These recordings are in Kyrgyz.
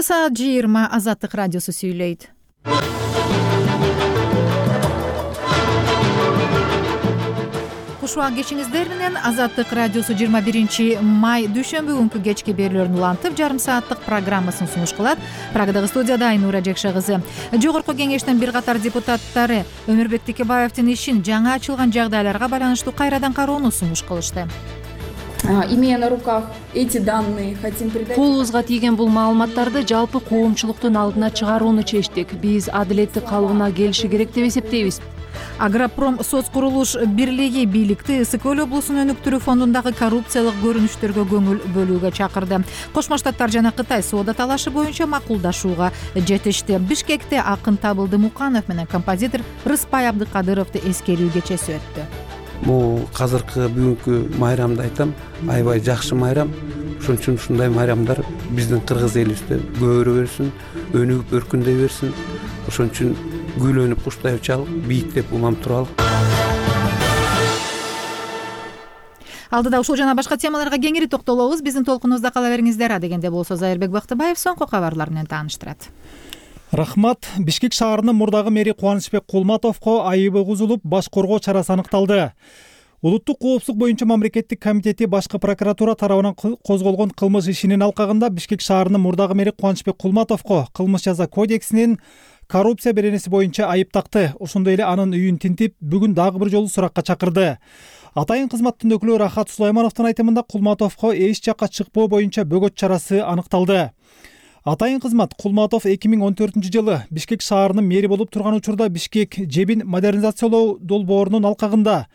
Саат 20 Азаттык радиосу сүйлөйт. Куш убак кечиңиздер менен Азаттык радиосу 21 май дүйшөмбү күнкү кечки берүүлөрүн улантып, жарым сааттык программасын сунуш кылат. Прагадагы студияда Айнура Жекше кызы. Жогорку кеңештин бир катар депутаттары Өмүрбек Текебаевдин ишин жаңа ачылган жагдайларга байланыштуу кайрадан кароону сунуш кылышты. Имея на руках эти данные, хотим передать. Колубузга тийген бул маалыматтарды жалпы коомчулуктун алдына чыгарууну чечтик. Биз адилеттүү калыбына келиши керек деп эсептейбиз. Агропром соц курулуш бирлиги бийликти Ысык Көл облусунун өнүктүрүү фондундагы коррупциялык көрүнүштөргө көңүл бөлүүгө чакырды. Кошмо Штаттар жана Кытай соода талашы боюнча макулдашууга жетишти. Бишкекте акын Табылды Муканов менен композитор Рыспай Абдыкадыровду эскерүү кечеси өттү. Бул азыркы бүгүнкү майрамды айтам, аябай жакшы майрам. Ошон үчүн ушундай майрамдар биздин кыргыз элибизде көбөрө берсин, өнүгүп өркүндөй берсин. Ошон үчүн гүлөнүп куштайып чалып, бийиктеп улам туралы. Алдыда ушул жана башка темаларга кеңири токтолобуз. Биздин толкунубузда кала бериңиздер. Адегенде болсо Зайырбек Бактыбаев соңку кабарлар менен тааныштырат. Рахмат. Бишкек шаарынын мурдагы мэри Кубанычбек Кулматовго айыбы кузулуп, баш коргоо чарасы аныкталды. Улуттук коопсуздук боюнча мамлекеттик комитети башкы прокуратура тарабынан козголгон кылмыш ишинин алкагында Бишкек шаарынын мурдагы мэри Кубанычбек Кулматовго кылмыш жаза кодексинин коррупция беренеси боюнча айып такты. Ошондой эле анын үйүн тинтип, бүгүн дагы бир жолу суракка чакырды. Атайын кызматтын өкүлү Рахат Сулаймановдун айтымында Кулматовго эч жакка чыкпоо боюнча бөгөт чарасы аныкталды. Атайын кызмат Кулматов 2014-жылы Бишкек шаарынын мэри болуп турган учурда Бишкек жебин модернизациялоо долбоорунун алкагында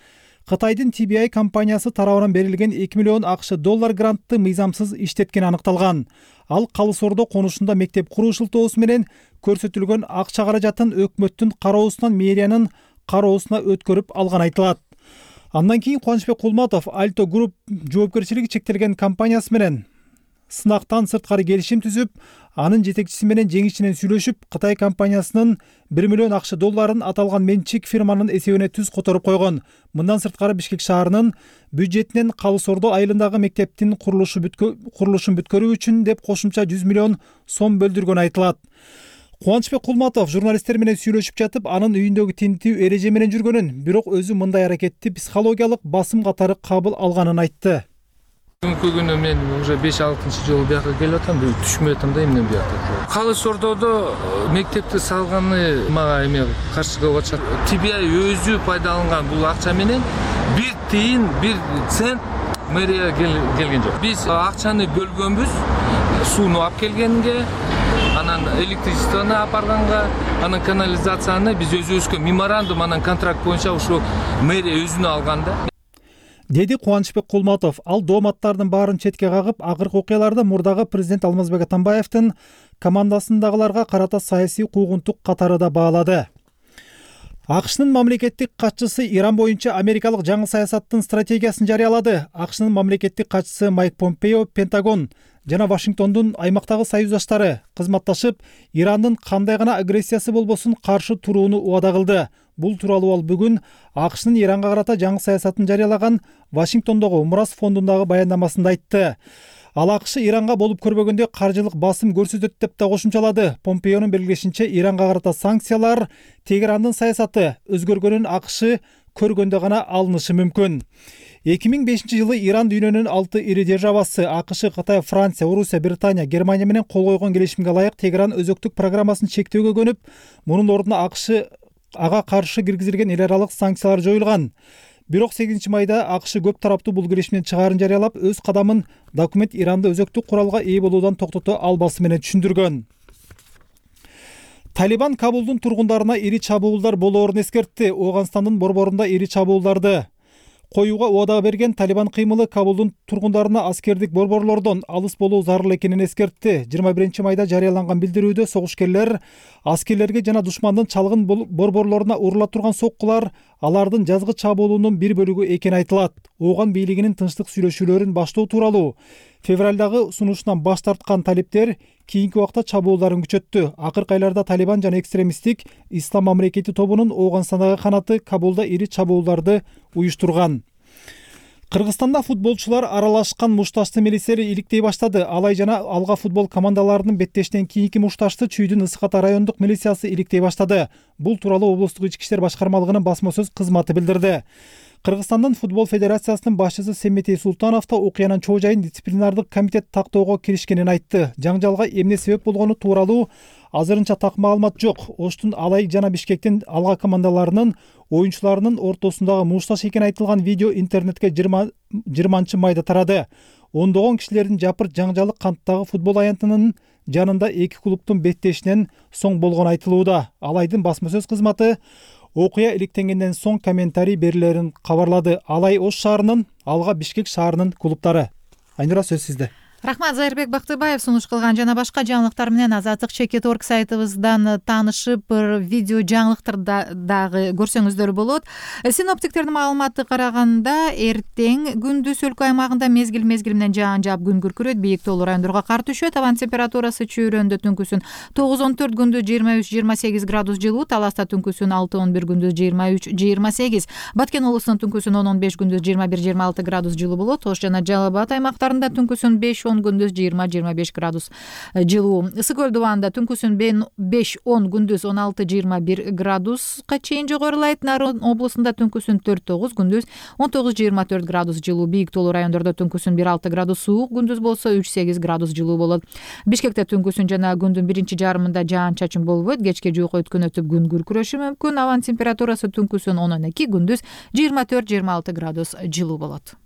Кытайдын TBI компаниясы тарабынан берилген 2 миллион ақш доллар грантты мыйзамсыз иштеткен аныкталган. Ал Калыс Ордо конушунда мектеп куруу шылтоосу менен көрсөтүлгөн акча каражатын өкмөттүн кароосунан мэриянын кароосуна өткөрүп алган айтылат. Андан кийин Кубанычбек Кулматов Альто Групп жоопкерчилиги чектелген компаниясы менен сынактан сырткары келишим түзүп, анын жетекчиси менен жеңишчинен сүйлөшүп, Кытай компаниясынын 1 миллион ақш долларын аталган менчик фирманын эсебине түз которуп койгон. Мындан сырткары Бишкек шаарынын бюджетинен Калыс Ордо айылындагы мектептин курулушун бүткөрүү үчүн деп кошумча 100 миллион сом бөлдүргөн айтылат. Кубанычбек Кулматов журналисттер менен сүйлөшүп жатып, анын үйүндөгү тинтүү эреже менен жүргөнүн, бирок өзү мындай аракетти психологиялык басым катары кабыл алганын айтты. Бүгүнкү күнү мен уже 5-6 жолу бияка келип атам, түшүнбөй атам да эмне бияка. Калыс Ордодо мектепти салганы мага эме каршы кылып атышат. TBI өзү пайдаланган бул акча менен 1 тиын 1 цент мэрия келген жок. Биз акчаны бөлгөнбүз, сууну алып келгенге, анан электричествону апарганга, анан канализацияны биз өзүбүзгө меморандум, анан контракт боюнча ушу мэрия өзүнө алганда. Деди Кубанычбек Кулматов. Ал дооматтардын баарын четке кагып, акыркы окуяларды мурдагы президент Алмазбек Атамбаевдин командасындагыларга карата саясий куугунтук катары да баалады. АКШнын мамлекеттик катчысы Иран боюнча америкалык жаңы саясаттын стратегиясын жарыялады. АКШнын мамлекеттик катчысы Майк Помпео Пентагон жана Вашингтондун аймактагы союздаштары кызматташып, Ирандын кандай гана агрессиясы болбосун каршы турууну убада кылды. Бул тууралуу ал бүгүн АКШнын Иранга карата жаңы саясатын жарыялаган Вашингтондогу Мурас фондундагы баяндамасында айтты. Ал АКШ Иранга болуп көрбөгөндө каржылык басым көрсөтөт деп да кошумчалады. Помпеонун белгилешинче, Иранга карата санкциялар Тегерандын саясаты өзгөргөнүн АКШ көргөндө гана алынышы мүмкүн. 2005-жылы Иран дүйнөнүн 6 ири державасы АКШ, Кытай, Франция, Орусия, Британия, Германия менен кол койгон келишимге ылайык Тегеран өзөктүк программасын чектөөгө көнүп, мунун ордуна АКШ ага каршы киргизилген эл аралык санкциялар жоюлган. Бирок 8 майда АКШ көп тараптуу бул келишимден чыгаарын жарыялап, өз кадамын документ Иранды өзөктүк куралга ээ болуудан токтото албасы менен түшүндүргөн. Талибан Кабулдун тургундарына ири чабуулдар болоорун эскертти. Ооганстандын борборунда ири чабуулдарды коюуга убада берген Талибан кыймылы Кабулдун тургундарына аскердик борборлордон алыс болуу зарыл экенин эскертти. 21 майда жарыяланган билдирүүдө согушкерлер аскерлерге жана душмандын чалгын борборлоруна урула турган соккулар алардын жазгы чабуулунун бир бөлүгү экени айтылат. Ооган бийлигинин тынчтык сүйлөшүүлөрүн баштоо тууралуу февралдагы сунушунан баш тарткан талиптер кийинки убакта чабуулдарын күчөттү. Акыркы айларда Талибан жана экстремисттик Ислам мамлекети тобунун Ооганстандагы канаты Кабулда ири чабуулдарды уюштурган. Кыргызстанда футболчулар аралашкан мушташты милиция иликтей баштады. Алай жана Алга футбол командаларынын беттештен кийинки мушташты Чүйдүн Ысык Ата райондук милициясы иликтей баштады. Бул тууралуу облустук ички иштер башкармалыгынын басма сөз кызматы билдирди. Кыргызстандын футбол федерациясынын башчысы Семетей Султанов да окуянын чоо жайын дисциплинардык комитет тактоого киришкенин айтты. Жаңжалга эмне себеп болгону тууралуу азырынча так маалымат жок. Оштун Алай жана Бишкектин Алга командаларынын оюнчуларынын ортосундагы мушташ экени айтылган видео интернетке 20-майда тарады. Ондогон кишилердин жапырт жаңжалы Канттагы футбол аянтынын жанында эки клубтун беттешинен соң болгону айтылууда. Алайдын басма сөз кызматы окуя иликтенгенден соң комментарий берилерин кабарлады. Алай Ош шаарынын, Алга Бишкек шаарынын клубтары. Айнура, сөз сизде. Рахмат, Зайырбек Бактыбаев сунуш кылган жана башка жаңылыктар менен Азаттык Чекет.org сайтыбыздан таанышып, видео жаңылыктарды дагы көрсөңүздөр болот. Синоптиктердин маалыматы караганда эртең күндүз өлкө аймагында мезгил менен жаан жаап күн күркүрөйт, бийик тоолуу райондорго кар түшөт. Абан температурасы чүйрөндө түнкүсүн 9-14, күндүз 23-28 градус жылуу, Таласта түнкүсүн 6-11, күндүз 23-28. Баткен облусунун түнкүсүн 10-15, күндүз 21-26 градус жылуу болот. Ош жана Жалал Абад аймактарында түнкүсүн 5-10, күндүз 20-25 градус жылуу. Ысык Көл дубанында түнкүсүн 5-10, күндүз 16-21 градуска чейин жогорулайт. Нарын облусунда түнкүсүн 4-9, күндүз 19-24 градус жылуу. Бийик тоолуу райондордо түнкүсүн 1-6 градус суук, күндүз болсо 3-8 градус жылуу болот. Бишкекте түнкүсүн жана күндүн биринчи жарымында жаан-чачын болбойт. Кечке жуук өткөн өтүп күн күркүрөшү мүмкүн. Абан температурасы түнкүсүн 10-12, күндүз 24-26 градус жылуу болот.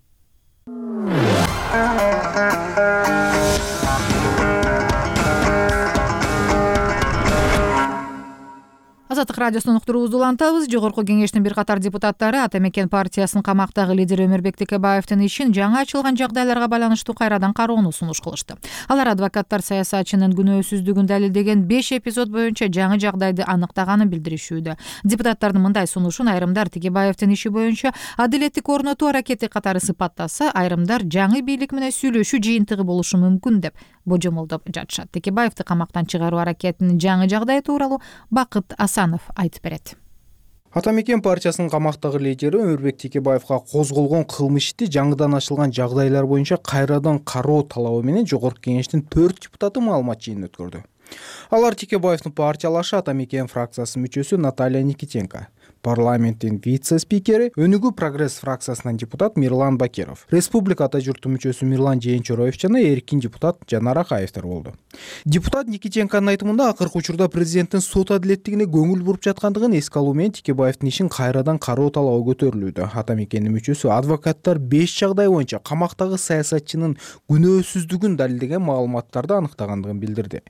Азаттык радиосунун уктуруубузду улантабыз. Жогорку кеңештин бир катар депутаттары Ата Мекен партиясынын камактагы лидери Өмүрбек Текебаевдин ишин жаңы ачылган жагдайларга байланыштуу кайрадан кароону сунуш кылышты. Алар адвокаттар саясатчынын күнөөсүздүгүн далилдеген 5 эпизод боюнча жаңы жагдайды аныктаганын билдиришүүдө. Депутаттардын мындай сунушун айрымдар Текебаевдин иши боюнча адилеттик орнотуу аракети катары сыпаттаса, айрымдар жаңы бийлик менен сүйлөшүү жыйынтыгы болушу мүмкүн деп божомолдоп жатышат. Текебаевди камактан чыгаруу аракетинин жаңы жагдай тууралуу Бакыт Асанов айтып берет. Ата Мекен партиясынын камактагы лидери Өмүрбек Текебаевга козголгон кылмыш ишти жаңыдан ачылган жагдайлар боюнча кайрадан кароо талабы менен жогорку кеңештин 4 депутаты маалымат жыйынын өткөрдү. Алар Текебаевдин партиялашы Ата Мекен фракциясынын мүчөсү Наталья Никитенко, парламенттин вице-спикери Өнүгүү прогресс фракциясынан депутат Мирлан Бакиров, республика ата журту мүчөсү Мирлан Жээнчороев жана эркин депутат Жанар Акаевдер болду. Депутат Никитенконун айтымында акыркы учурда президенттин сот адилеттигине көңүл буруп жаткандыгын эске алуу менен Текебаевдин ишин кайрадан кароо талабы көтөрүлүүдө. Ата Мекендин мүчөсү адвокаттар 5 жагдай боюнча камактагы саясатчынын күнөөсүздүгүн далилдеген маалыматтарды аныктагандыгын билдирди.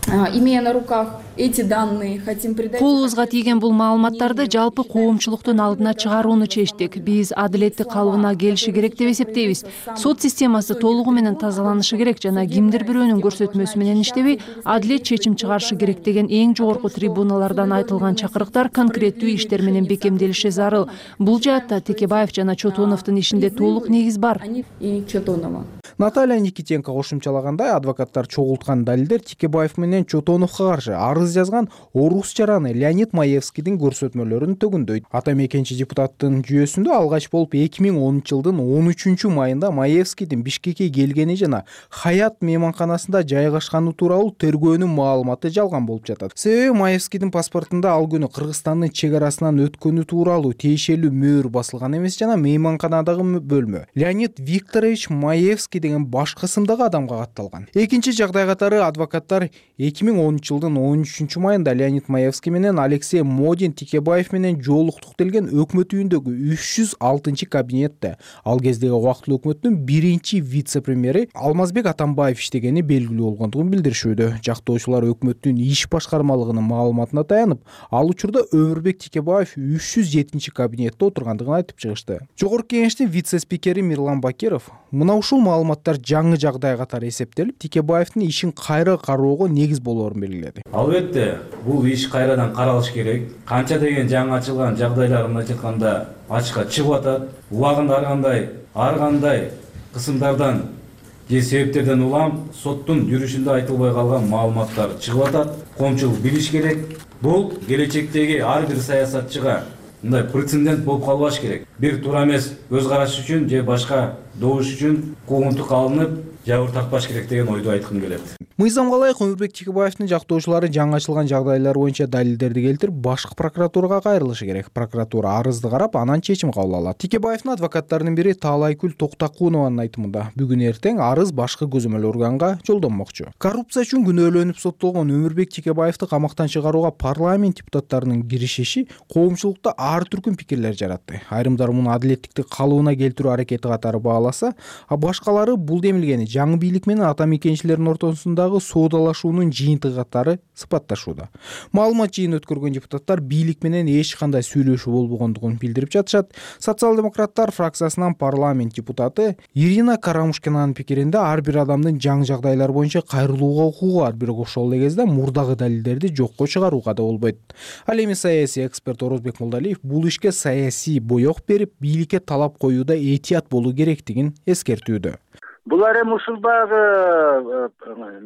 Имея на руках эти данные, хотим придать... Колубузга тийген бул маалыматтарды жалпы коомчулуктун алдына чыгарууну чечтик. Биз адилетти калыбына келиши керек деп эсептейбиз. Сот системасы толугу менен тазаланышы керек жана кимдир бирөөнүн көрсөтмөсү менен иштебей, адилет чечим чыгарышы керек деген эң жогорку трибуналардан айтылган чакырыктар конкреттүү иштер менен бекемделиши зарыл. Бул жаатта Текебаев жана Чотоновдун ишинде толук негиз бар. И Чотонова. Наталья Никитенко кошумчалагандай, адвокаттар чогулткан далилдер Текебаев менен Чотоновго каршы арыз жазган орус жараны Леонид Маевскийдин көрсөтмөлөрүн төгүндөйт. Ата Мекенчи депутаттын жүйөсүндө алгач болуп 2010 жылдын 13-майында Маевскийдин Бишкекке келгени жана Хаят мейманканасында жайгашканы тууралуу тергөөнүн маалыматы жалган болуп жатат. Себеби Маевскийдин паспортунда ал күнү Кыргызстандын чек арасынан өткөнү тууралуу тиешелүү мөөр басылган эмес жана мейманканадагы бөлмө Леонид Викторович Маевский деген башка ысымдагы адамга катталган. Экинчи жагдай катары адвокаттар 2010 жылдын 13-майында Леонид Маевский менен Алексей Модин Текебаев менен жолуктук делген өкмөт үйүндөгү 306-кабинетте ал кездеги убактылуу өкмөттүн биринчи вице-премьери Алмазбек Атамбаев иштегени белгилүү болгондугун билдиришүүдө. Жактоочулар өкмөттүн иш башкармалыгынын маалыматына таянып, ал учурда Өмүрбек Текебаев 307-кабинетте отургандыгын айтып чыгышты. Жогорку кеңештин вице-спикери Мирлан Бакиров мына ушул маалыматтар жаңы жагдай катары эсептелип, Текебаевдин ишин кайра кароого негиз болоорун белгиледи. Албетте, бул иш кайрадан каралыш керек. Канча деген жаңы ачылган жагдайлар мындайча айтканда ачыкка чыгып атат. Убагында ар кандай кысымдардан же себептерден улам соттун жүрүшүндө айтылбай калган маалыматтар чыгып атат. Коомчулук билиш керек. Бул келечектеги ар бир саясатчыга мындай прецедент болуп калбаш керек. Бир туура эмес көз караш үчүн же башка добуш үчүн куугунтук алынып жабыр тартпаш керек деген ойду айткым келет. Мыйзамга ылайык Өмүрбек Текебаевдин жактоочулары жаңы ачылган жагдайлар боюнча далилдерди келтирип, башкы прокуратурага кайрылышы керек. Прокуратура арызды карап, анан чечим кабыл алат. Текебаевдин адвокаттарынын бири Таалайкүл Токтакунованын айтымында, бүгүн эртең арыз башкы көзөмөл органга жолдонмокчу. Коррупция үчүн күнөөлөнүп соттолгон Өмүрбек Текебаевди камактан чыгарууга парламент депутаттарынын киришиши коомчулукта ар түркүн пикирлер жаратты. Айрымдар муну адилеттикти калыбына келтирүү аракети катары бааласа, а башкалары бул демилгени жаңы бийлик менен ата мекенчилердин ортосундагы соодалашуунун жыйынтыгы катары сыпатташууда. Маалымат жыйын өткөргөн депутаттар бийлик менен эч кандай сүйлөшүү болбогондугун билдирип жатышат. Социал-демократтар фракциясынан парламент депутаты Ирина Карамушкинанын пикиринде ар бир адамдын жаңы жагдайлар боюнча кайрылууга укугу бар, бирок ошол эле кезде мурдагы далилдерди жокко чыгарууга да болбойт. Ал эми саясий эксперт Орозбек Молдалиев бул ишке саясий боек берип, бийликке талап коюуда этият болуу керектигин эскертүүдө. Булар эми ушул баягы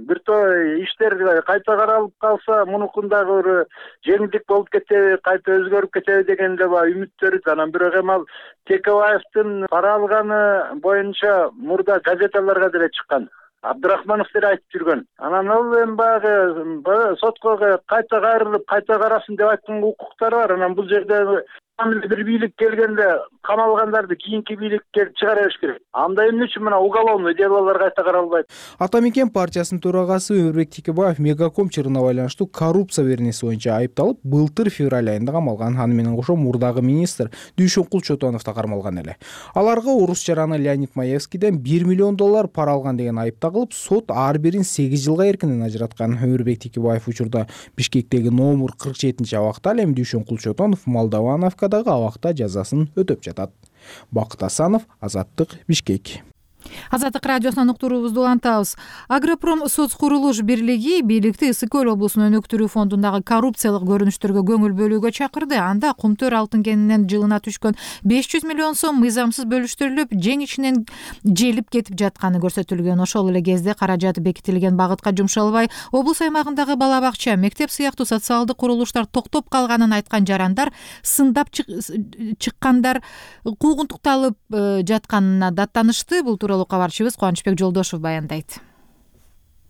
бир топ иштер кайта каралып калса, мунукундагы бир жеңилдик болуп кетеби, кайта өзгөрүп кетеби деген эле баягы үмүттөр. Анан бирок эми ал Текебаевдин пара алганы боюнча мурда газеталарга деле чыккан. Абдрахманов деле айтып жүргөн. Анан ал эми баягы сотко кайта кайрылып, кайта карасын деп айткан укуктары бар. Анан бул жерде бир бийлик келгенде камалгандарды кийинки бийликке чыгара бериш керек. Анда эмне үчүн мына уголовный делолор кайта каралбайт? Ата мекен партиясынын төрагасы Өмүрбек Текебаев Мегаком чырына байланыштуу коррупция беренеси боюнча айыпталып, былтыр февраль айында камалган. Аны менен кошо мурдагы министр Дүйшөнкул Чотонов да кармалган эле. Аларга орус жараны Леонид Маевскийден $1 миллион пара алган деген айып тагылып, сот ар бирин 8 жылга эркинен ажыраткан. Өмүрбек Текебаев учурда Бишкектеги номер 47 абакта, ал эми Дүйшөнкул Чотонов Молдовановкадагы абакта жазасын өтөп жатат. Бакыт Асанов, Азаттык, Бишкек. Азаттык радиосунан уктуруубузду улантабыз. Агропром соц курулуш бирлиги бийликти Ысык Көл облусунун өнүктүрүү фондундагы коррупциялык көрүнүштөргө көңүл бөлүүгө чакырды. Анда кумтөр алтын кенинен жылына түшкөн 500 миллион сом мыйзамсыз бөлүштүрүлүп, жең ичинен желип кетип жатканы көрсөтүлгөн. Ошол эле кезде каражат бекитилген багытка жумшалбай, облус аймагындагы бала бакча, мектеп сыяктуу социалдык курулуштар токтоп калганын айткан жарандар сындап чыккандар куугунтукталып жатканына даттанышты. Бул тууралуу кабарчыбыз Кубанычбек Жолдошев баяндайт.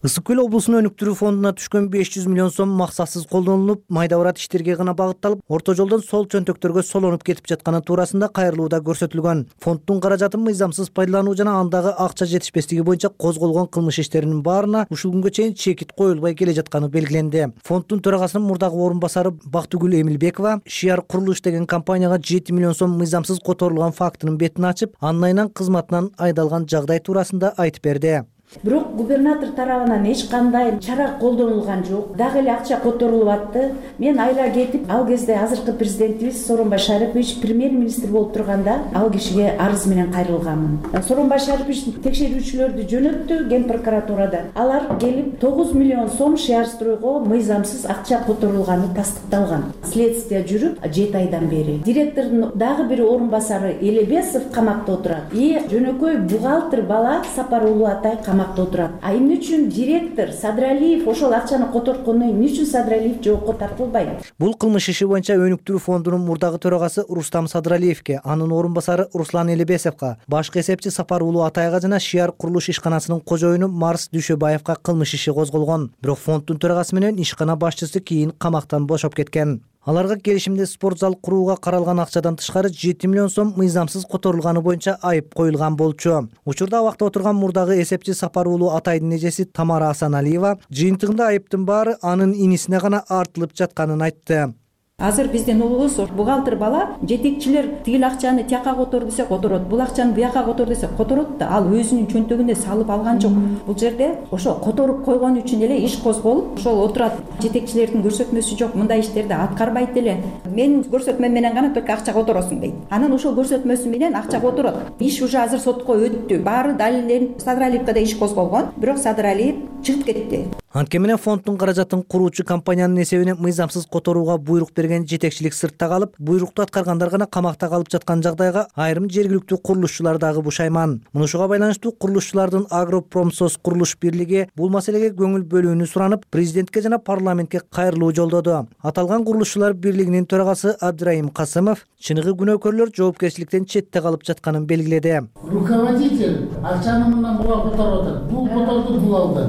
Ысык Көл облусунун өнүктүрүү фондуна түшкөн 500 миллион сом максатсыз колдонулуп, майда барат иштерге гана багытталып, орто жолдон сол чөнтөктөргө солонуп кетип жатканы туурасында кайрылууда көрсөтүлгөн. Фонддун каражатын мыйзамсыз пайдалануу жана андагы акча жетишпестиги боюнча козголгон кылмыш иштеринин баарына ушул күнгө чейин чекит коюлбай келе жатканы белгиленди. Фонддун төрагасынын мурдагы орун басары Бактыгүл Эмилбекова Шиар Курулуш деген компанияга 7 миллион сом мыйзамсыз которулган фактынын бетин ачып, андан айынан кызматынан айдалган жагдай туурасында айтып берди. Бирок губернатор тарабынан эч кандай чара колдонулган жок. Дагы эле акча которулуп атты. Мен айла кетип, ал кезде азыркы президентибиз Сооронбай Шарипович премьер-министр болуп турганда ал кишиге арыз менен кайрылганмын. Сооронбай Шарипович текшерүүчүлөрдү жөнөттү ген прокуратурада. Алар келип 9 миллион сом Шиарстройго мыйзамсыз акча которулганы тастыкталган. Следствие жүрүп 7 айдан бери. Директордун дагы бир орун басары Элебесов камакта отурат. Жөнөкөй бухгалтер бала Сапар Улуу Атай отурат. А эмне үчүн директор Садралиев ошол акчаны которткону эмне үчүн Садралиев жоопко тартылбайт? Бул кылмыш иши боюнча өнүктүрүү фондунун мурдагы төрагасы Рустам Садралиевке, анын орун басары Руслан Элебесовго, башкы эсепчи Сапар Улуу Атайга жана Шиар Курулуш ишканасынын кожоюну Марс Дүйшөбаевга кылмыш иши козголгон. Бирок фонддун төрагасы менен ишкана башчысы кийин камактан бошоп кеткен. Аларга келишимде спорт зал курууга каралган акчадан тышкары 7 миллион сом мыйзамсыз которулганы боюнча айып коюлган болчу. Учурда абакта отурган мурдагы эсепчи Сапар Улуу Атайдын эжеси Тамара Асаналиева жыйынтыгында айыптын баары анын инисине гана артылып жатканын айтты. Азыр биздин улубуз бухгалтер бала жетекчилер тигил акчаны тияка котор десе которот, бул акчаны буяка котор десе которот да, ал өзүнүн чөнтөгүнө салып алган жок. Бул жерде ошо которуп койгон үчүн эле иш козголуп, ошол отурат. Жетекчилердин көрсөтмөсү жок, мындай иштерди аткарбайт эле. Менин көрсөтмөм менен гана только акча которосуң дейт. Анан ошол көрсөтмөсү менен акча которот. Иш уже азыр сотко өттү. Баары далилден Садралиевге да иш козголгон, бирок Садралиев чыгып кетти. Анткени менен фонддун каражатын куруучу компаниянын эсебине мыйзамсыз которууга буйрук берген жетекчилик сыртта калып, буйрукту аткаргандар гана камакта калып жаткан жагдайга айрым жергиликтүү курулушчулар дагы бушайман. Мунушуга байланыштуу курулушчулардын Агропромсоц курулуш бирлиги бул маселеге көңүл бөлүүнү суранып, президентке жана парламентке кайрылуу жолдоду. Аталган курулушчулар бирлигинин төрагасы Абдырайым Касымов чыныгы күнөөкөрлөр жоопкерчиликтен четте калып жатканын белгиледи. Руководитель акчаны мындан буга которуп атат. Бул которду бул алды.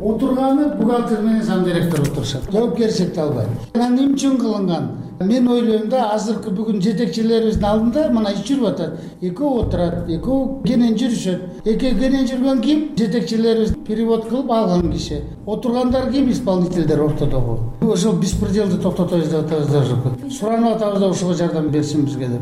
Отурганы бухгалтер менен зам директор отурушат. Жоопкерчиликти албайт. Эмне үчүн кылынган? Мен ойлойм да, азыркы бүгүн жетекчилерибиздин алдында мына иш жүрүп атат. Экөө отурат, экөө кенен жүрүшөт. Экөө кенен жүргөн ким? Жетекчилерибиз перевод кылып алган киши. Отургандар ким? Исполнительдер ортодогу. Ошол беспределди токтотобуз деп атабыз. Суранып атабыз да ушуга жардам берсин бизге деп.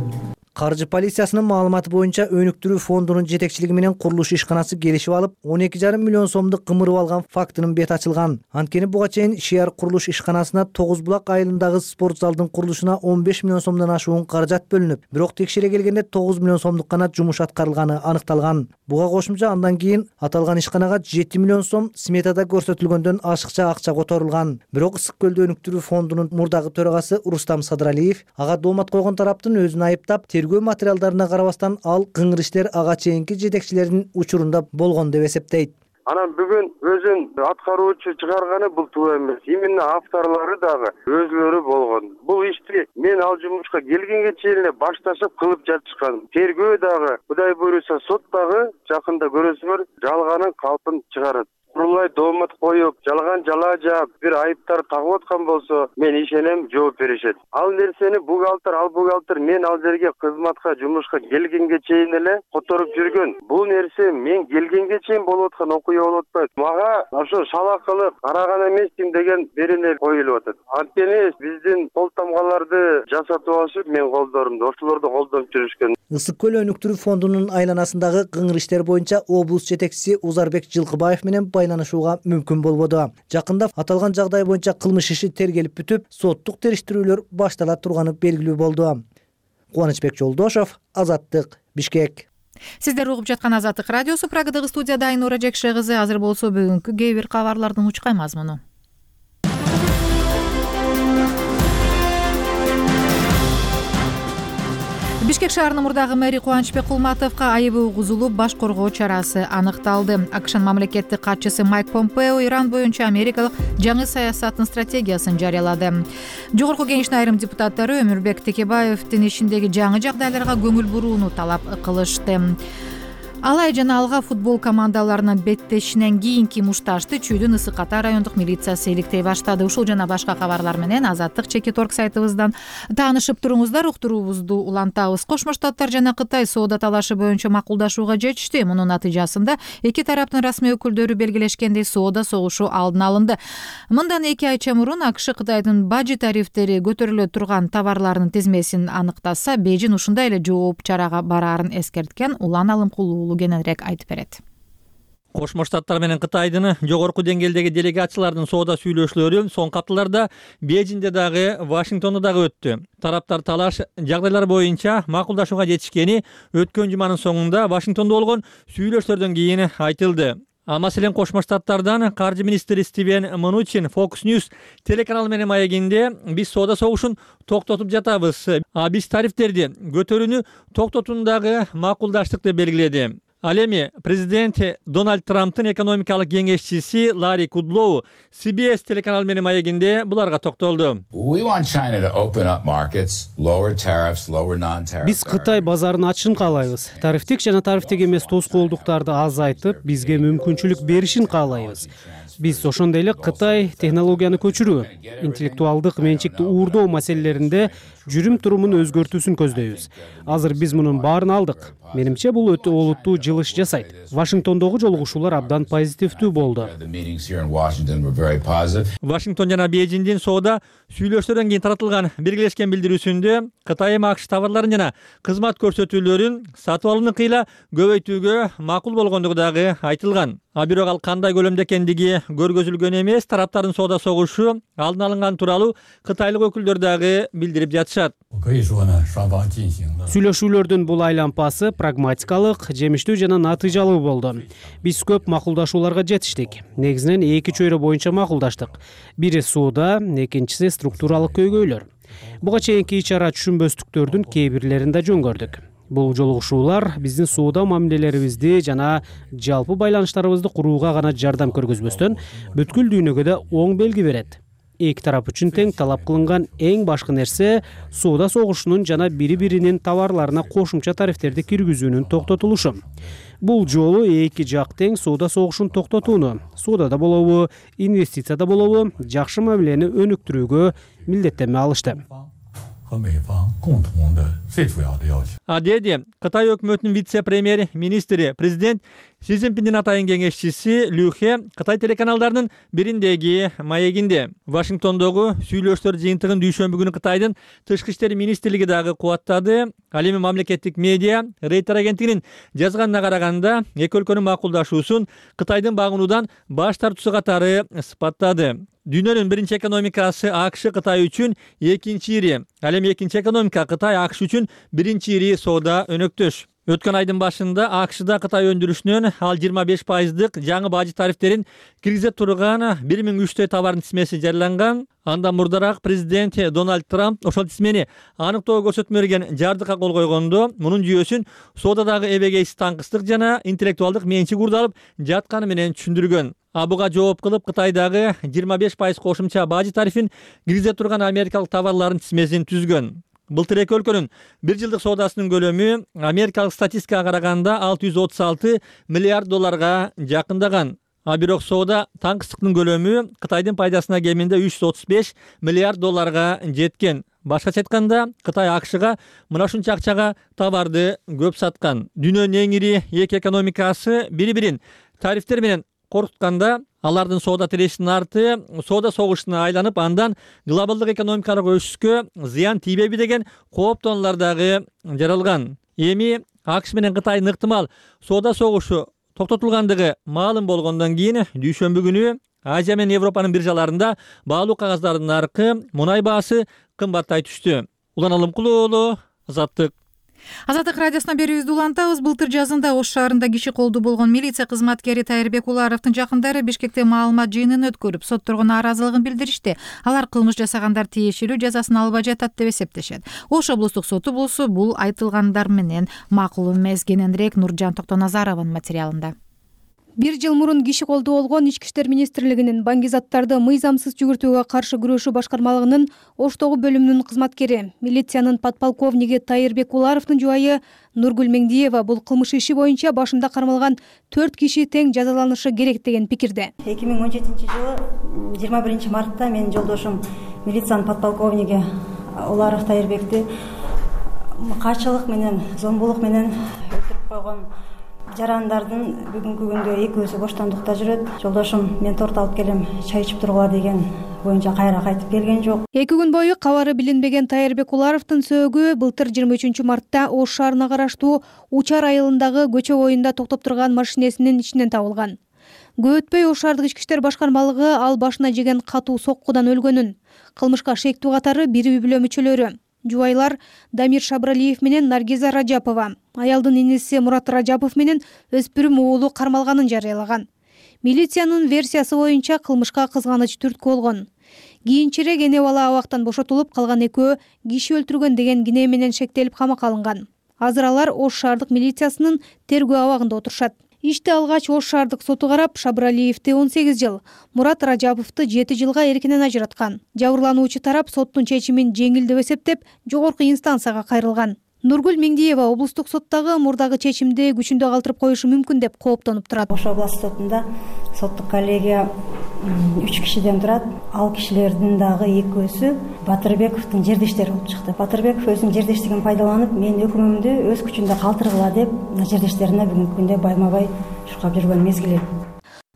Каржы полициясынын маалыматы боюнча өнүктүрүү фондунун жетекчилиги менен курулуш ишканасы келишип алып, 12,5 миллион сомду кымырып алган фактынын бети ачылган. Анткени буга чейин Шияр курулуш ишканасына Тогуз булак айылындагы спорт залдын курулушуна 15 миллион сомдон ашуун каражат бөлүнүп, бирок текшере келгенде 9 миллион сомдук гана жумуш аткарылганы аныкталган. Буга кошумча андан кийин аталган ишканага 7 миллион сом сметада көрсөтүлгөндөн ашыкча акча которулган. Бирок Ысык көлдө өнүктүрүү фондунун мурдагы төрагасы Рустам Садралиев ага доомат койгон тараптын өзүн айыптап, тергөө материалдарына карабастан ал кыңыр иштер ага чейинки жетекчилердин учурунда болгон деп эсептейт. Анан бүгүн өзүн аткаруучу чыгарганы бул туура эмес. Именно авторлору дагы өзүлөрү болгон. Бул ишти мен ал жумушка келгенге чейин эле башташып кылып жатышкан. Тергөө дагы, Кудай буйруса, сот дагы жакында көрөсүңөр жалганын калпын чыгарат. Курулай доомат коюп, жалган жала жаап, бир айыптар тагып аткан болсо, мен ишенем жооп беришет. Ал нерсени бухгалтер мен ал жерге кызматка, жумушка келгенге чейин эле которуп жүргөн. Бул нерсе мен келгенге чейин болуп аткан окуя болуп атпайт. Мага ошо шалакылык караган эмесмин деген берене коюлуп атат. Анткени биздин кол тамгаларды жасатып алышып, мен колдорумду, ошолорду колдонуп жүрүшкөн. Ысык көл өнүктүрүү фондунун айланасындагы кыңыр иштер боюнча облус жетекчиси Узарбек Жылкыбаев менен байланышууга мүмкүн болбоду. Жакында аталган жагдай боюнча кылмыш иши тергелип бүтүп, соттук териштирүүлөр баштала турганы белгилүү болду. Кубанычбек Жолдошов, Азаттык, Бишкек. Сиздер угуп жаткан Азаттык радиосу. Прагадагы студияда Айнура Жекше кызы. Азыр болсо бүгүнкү кээ бир кабарлардын учкай мазмуну. Бишкек шаарынын мурдагы мэри Кубанычбек Кулматовго айыбы угузулуп, баш коргоо чарасы аныкталды. АКШнын мамлекеттик катчысы Майк Помпео Иран боюнча америкалык жаңы саясаттын стратегиясын жарыялады. Жогорку кеңештин айрым депутаттары Өмүрбек Текебаевдин ишиндеги жаңы жагдайларга көңүл бурууну талап кылышты. Алай жана Алга футбол командаларынын беттешинен кийинки мушташты Чүйдүн Ысык Ата райондук милициясы иликтей баштады. Ушул жана башка кабарлар менен Азаттык Чекиторг сайтыбыздан таанышып туруңуздар. Уктуруубузду улантабыз. Кошмо Штаттар жана Кытай соода талашы боюнча макулдашууга жетишти. Мунун натыйжасында эки тараптын расмий өкүлдөрү белгилешкендей соода согушу алдын алынды. Мындан 2 айча мурун АКШ Кытайдын бажы тарифтери көтөрүлө турган товарлардын тизмесин аныктаса, Бейжин ушундай эле жооп чарага бараарын эскерткен. Улан Алымкулуу кененирээк айтып берет. Кошмо Штаттар менен Кытайдын жогорку деңгээлдеги делегациялардын соода сүйлөшүүлөрү соңку апталарда Бейжиңде дагы, Вашингтондо дагы өттү. Тараптар талаш жагдайлар боюнча макулдашууга жетишкени өткөн жуманын соңунда Вашингтондо болгон сүйлөшүүлөрдөн кийин айтылды. Маселен Кошмо Штаттардан каржы министри Стивен Мнучин Fox News телеканалы менен маегинде биз соода согушун токтотуп жатабыз. Биз тарифтерди көтөрүүнү токтотуундагы макулдаштык деп белгиледи. Ал эми президент Дональд Трамптын экономикалык кеңешчиси Ларри Кудлоу CBS телеканалы менен маегинде буларга токтолду. Биз Кытай базарын ачышын каалайбыз. Тарифтик жана тарифтик эмес тоскоолдуктарды азайтып, бизге мүмкүнчүлүк беришин каалайбыз. Биз ошондой эле Кытай технологияны көчүрүү, интеллектуалдык менчикти уурдоо маселелеринде жүрүм-турумун өзгөртүүсүн көздөйбүз. Азыр биз мунун баарын алдык. Менимче бул өтө олуттуу жылыш жасайт. Вашингтондогу жолугушуулар абдан позитивдүү болду. Вашингтон жана Бейжиңдин соода сүйлөшүүлөрдөн кийин таратылган белгилешкен билдирүүсүндө Кытай АКШ товарларын жана кызмат көрсөтүүлөрүн сатып алууну кыйла көбөйтүүгө макул болгондугу дагы айтылган. бирок ал кандай көлөмдө экендиги көргөзүлгөн эмес. Тараптардын соода согушу алдын алынган тууралуу кытайлык өкүлдөр дагы билдирип жатышат. Сүйлөшүүлөрдүн бул айлампасы прагматикалык, жемиштүү жана натыйжалуу болду. Биз көп макулдашууларга жетиштик. Негизинен эки чөйрө боюнча макулдаштык. Бири соода, экинчиси структуралык көйгөйлөр. Буга чейинки ич-ара түшүнбөстүктөрдүн кээ бирлерин да жөн көрдүк. Бул жолугушуулар биздин соода мамилелерибизди жана жалпы байланыштарыбызды курууга гана жардам көргөзбөстөн, бүткүл дүйнөгө да оң белги берет. Эки тарап үчүн тең талап кылынган эң башкы нерсе соода согушунун жана бири-биринин товарларына кошумча тарифтерди киргизүүнүн токтотулушу. Бул жолу эки жак тең соода согушун токтотууну, соодада болобу, инвестицияда болобу, жакшы мамилени өнүктүрүүгө милдеттенме алышты. Деди Кытай өкмөтүнүн вице-премьер министри президент Си Цзиньпиндин атайын кеңешчиси Лю Хэ Кытай телеканалдарынын бириндеги маегинде. Вашингтондогу сүйлөштөр жыйынтыгын дүйшөмбү күнү Кытайдын тышкы иштер министрлиги дагы кубаттады. Ал эми мамлекеттик медиа Рейтер агенттигинин жазганына караганда, эки өлкөнүн макулдашуусун Кытайдын багынуудан баш тартуусу катары сыпаттады. Дүйнөнүн биринчи экономикасы АКШ Кытай үчүн экинчи ири, ал эми экинчи экономика Кытай АКШ үчүн биринчи ири соода өнөктөш. Өткөн айдын башында АКШда Кытай өндүрүшүнөн ал 25%дык жаңы бажы тарифтерин киргизе турган 1003 товардын тизмеси жарыяланган. Андан мурдараак президент Дональд Трамп ошол тизмени аныктоо көрсөтмө берген жардыкка кол койгондо, мунун жүйөсүн соодадагы эбегейсиз таңкыстык жана интеллектуалдык менчик урдалып жатканы менен түшүндүргөн. Буга жооп кылып Кытайдагы 25% кошумча бажы тарифин киргизе турган америкалык товарлардын тизмесин түзгөн. Былтыр эки өлкөнүн бир жылдык соодасынын көлөмү америкалык статистикага караганда $636 миллиард жакындаган. Бирок соода таңкыстыктын көлөмү Кытайдын пайдасына кеминде $335 миллиард жеткен. Башкача айтканда, Кытай АКШга мына ушунча акчага товарды көп саткан. Дүйнөнүн эң ири эки экономикасы бири-бирин тарифтер менен коркутканда, алардын соода тирешинин арты соода согушуна айланып, андан глобалдык экономикалык өсүшкө зыян тийбейби деген кооптонуулар дагы жаралган. Эми АКШ менен Кытайдын ыктымал соода согушу токтотулгандыгы маалым болгондон кийин дүйшөмбү күнү Азия менен Европанын биржаларында баалуу кагаздардын наркы мунай баасы кымбаттай түштү. Улан Алымкулуу уулу, Азаттык. Азаттык радиосуна берүүбүздү улантабыз. Былтыр жазында Ош шаарында киши колду болгон милиция кызматкери Тайырбек Уларовдун жакындары Бишкекте маалымат жыйынын өткөрүп, сотторгон нааразылыгын билдиришти. Алар кылмыш жасагандар тиешелүү жазасын албай жатат деп эсептешет. Ош облустук соту болсо бул айтылгандар менен макул эмес. Кененирээк Нуржан Токтоназарованын материалында. Бир жыл мурун киши колду болгон Ички иштер министрлигинин баңгизаттарды мыйзамсыз жүгүртүүгө каршы күрөшүү башкармалыгынын Оштогу бөлүмүнүн кызматкери, милициянын подполковниги Тайырбек Уларовдун жубайы Нургүл Меңдиева бул кылмыш иши боюнча башында кармалган 4 киши тең жазаланышы керек деген пикирде. 2017 жылы 21 мартта менин жолдошум милициянын подполковниги Уларов Тайырбекти качылык менен, зомбулук менен өлтүрүп койгон жарандардын бүгүнкү күндө экөөсү боштондукта жүрөт. Жолдошум мен торт алып келем, чай ичип тургула деген боюнча кайра кайтып келген жок. 2 күн бою кабары билинбеген Тайырбек Уларовдун сөөгү былтыр 23 мартта Ош шаарына караштуу Учар айылындагы көчө боюнда токтоп турган машинесинин ичинен табылган. Көп өтпөй Ош шаардык ички иштер башкармалыгы ал башына жеген катуу соккудан өлгөнүн, кылмышка шектүү катары бир үй-бүлө мүчөлөрү жубайлар Дамир Шабралиев менен Наргиза Ражапова, аялдын иниси Мурат Ражапов менен өспүрүм уулу кармалганын жарыялаган. Милициянын версиясы боюнча кылмышка кызганыч түрткү болгон. Кийинчерээк эне бала абактан бошотулуп, калган экөө киши өлтүргөн деген кине менен шектелип камакка алынган. Азыр алар Ош шаардык милициясынын тергөө абагында отурушат. Ишти алгач Ош шаардык соту карап, Шабралиевди 18 жыл, Мурат Ражаповду 7 жылга эркинен ажыраткан. Жабырлануучу тарап соттун чечимин жеңил деп эсептеп, жогорку инстанцияга кайрылган. Нургүл Меңдиева облустук соттогу мурдагы чечимди күчүндө калтырып коюшу мүмкүн деп кооптонуп турат. Ош областык сотунда соттук коллегия 3 кишиден турат. Ал кишилердин дагы экөөсү Батырбековдун жердештери болуп чыкты. Батырбеков өзүнүн жердештигин пайдаланып, мен өкүмүмдү өз күчүндө калтыргыла деп жердештерине бүгүнкү күндө байма-бай чуркап жүргөн мезгили.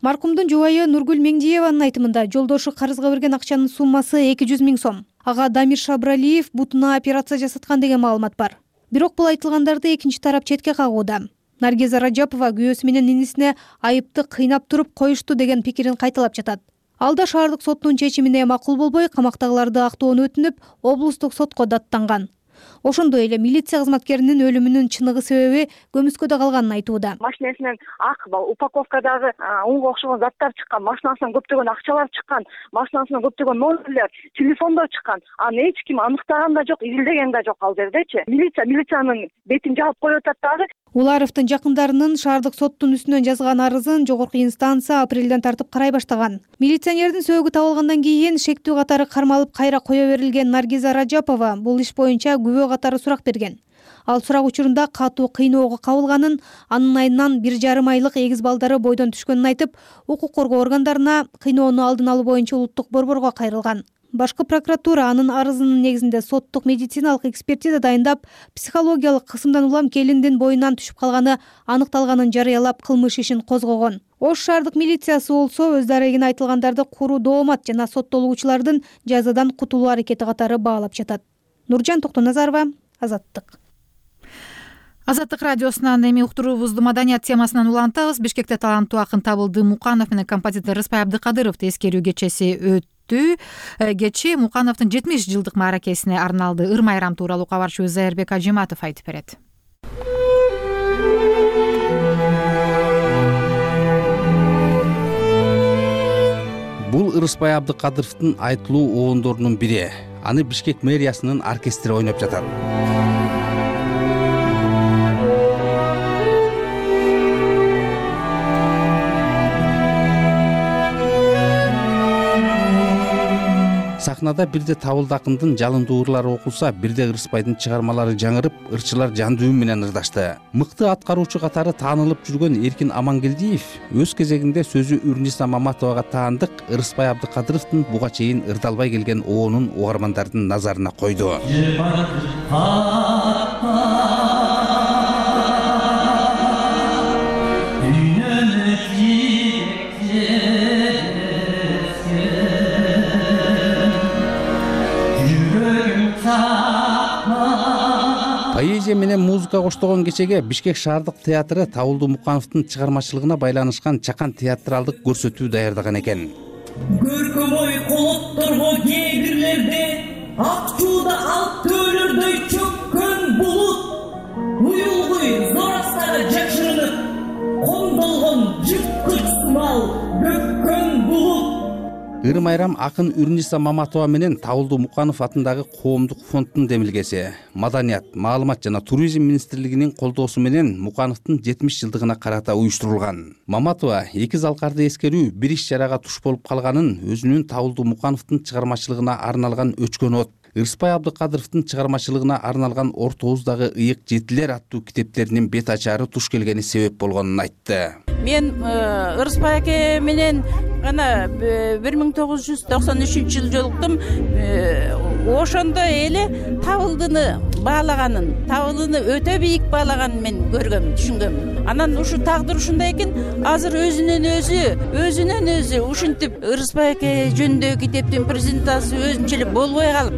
Маркумдун жубайы Нургүл Меңдиеванын айтымында жолдошу карызга берген акчанын суммасы 200 000 сом. Ага Дамир Шабралиев бутуна операция жасаткан деген маалымат бар. Бирок бул айтылгандарды экинчи тарап четке кагууда. Наргиза Ражапова күйөөсү менен инисине айыпты кыйнап туруп коюшту деген пикирин кайталап жатат. Ал да шаардык соттун чечимине макул болбой, камактагыларды актоону өтүнүп, облустук сотко даттанган. Ошондой эле милиция кызматкеринин өлүмүнүн чыныгы себеби көмүскөдө калганын айтууда. Машинесинен ак упаковкадагы унга окшогон заттар чыккан, машинасынан көптөгөн акчалар чыккан, машинасынан көптөгөн номерлер, телефондор чыккан. Аны эч ким аныктаган да жок, изилдеген да жок ал жердечи. Милициянын бетин жаап коюп атат дагы. Уларовдун жакындарынын шаардык соттун үстүнөн жазган арызын жогорку инстанция апрелден тартып карай баштаган. Милиционердин сөөгү табылгандан кийин шектүү катары кармалып кайра кое берилген Наргиза Ражапова бул иш боюнча күбө катары сурак берген. Ал сурак учурунда катуу кыйноого кабылганын, анын айынан 1,5 айлык эгиз балдары бойдон түшкөнүн айтып, укук коргоо органдарына кыйноону алдын алуу боюнча улуттук борборго кайрылган. Башкы прокуратура анын арызынын негизинде соттук медициналык экспертиза дайындап, психологиялык кысымдан улам келиндин боюнан түшүп калганы аныкталганын жарыялап, кылмыш ишин козгогон. Ош шаардык милициясы болсо өз дарегине айтылгандарды куруу доомат жана соттолуучулардын жазадан кутулуу аракети катары баалап жатат. Нуржан Токтоназарова, Азаттык. Азаттык радиосунан эми уктуруубузду маданият темасынан улантабыз. Бишкекте таланттуу акын Табылды Муканов менен композитор Рыспай Абдыкадыровду эскерүү кечеси өттү. Кече Мукановдун 70 жылдык мааракесине арналды. Ыр майрам тууралуу кабарчыбыз Зайырбек Ажиматов айтып берет. Бул Рыспай Абдыкадыровдун айтылуу оондорунун бири. Аны Бишкек мэриясынын оркестри ойноп жатат. Сахнада бирде Табылды акындын жалындуу ырлары окулса, бирде Рыспайдын чыгармалары жаңырып, ырчылар жан дүйүм менен ырдашты. Мыкты аткаруучу катары таанылып жүргөн Эркин Амангелдиев өз кезегинде сөзү Үрниса Маматовага таандык Рыспай Абдыкадыровдун буга чейин ырдалбай келген оонун угармандардын назарына койду. Поэзия менен музыка коштогон кечеге Бишкек шаардык театры Табылды Мукановдун чыгармачылыгына байланышкан чакан театралдык көрсөтүү даярдаган экен. Көркөм ой колотторго кегирлерде ак чууда алып төөлөрдөй чөккөн булут, уюлгуй зор астары жакшырынып коңдолгон жырткыч сымал бөккөн булут. Ыр майрам акын Үрниса Маматова менен Табылды Муканов атындагы коомдук фонддун демилгеси. Маданият, маалымат жана туризм министрлигинин колдоосу менен Мукановдун 70 жылдыгына карата уюштурулган. Маматова эки залкарды эскерүү бир иш чарага туш болуп калганын өзүнүн Табылды Мукановдун чыгармачылыгына арналган Өчкөн от, Рыспай Абдыкадыровдун чыгармачылыгына арналган Ортобуздагы ыйык жетилер аттуу китептеринин бет ачары туш келгени себеп болгонун айтты. Мен Рыспай аке менен гана 1993 жыл жолуктум. Ошондо эле Табылдыны баалаганын, Табылдыны өтө бийик баалаганын мен көргөм, түшүнгөм. Анан ушу тагдыр ушундай экен, азыр өзүнөн өзү ушинтип Рыспай аке жөнүндөгү китептин презентациясы өзүнчө эле болбой калып,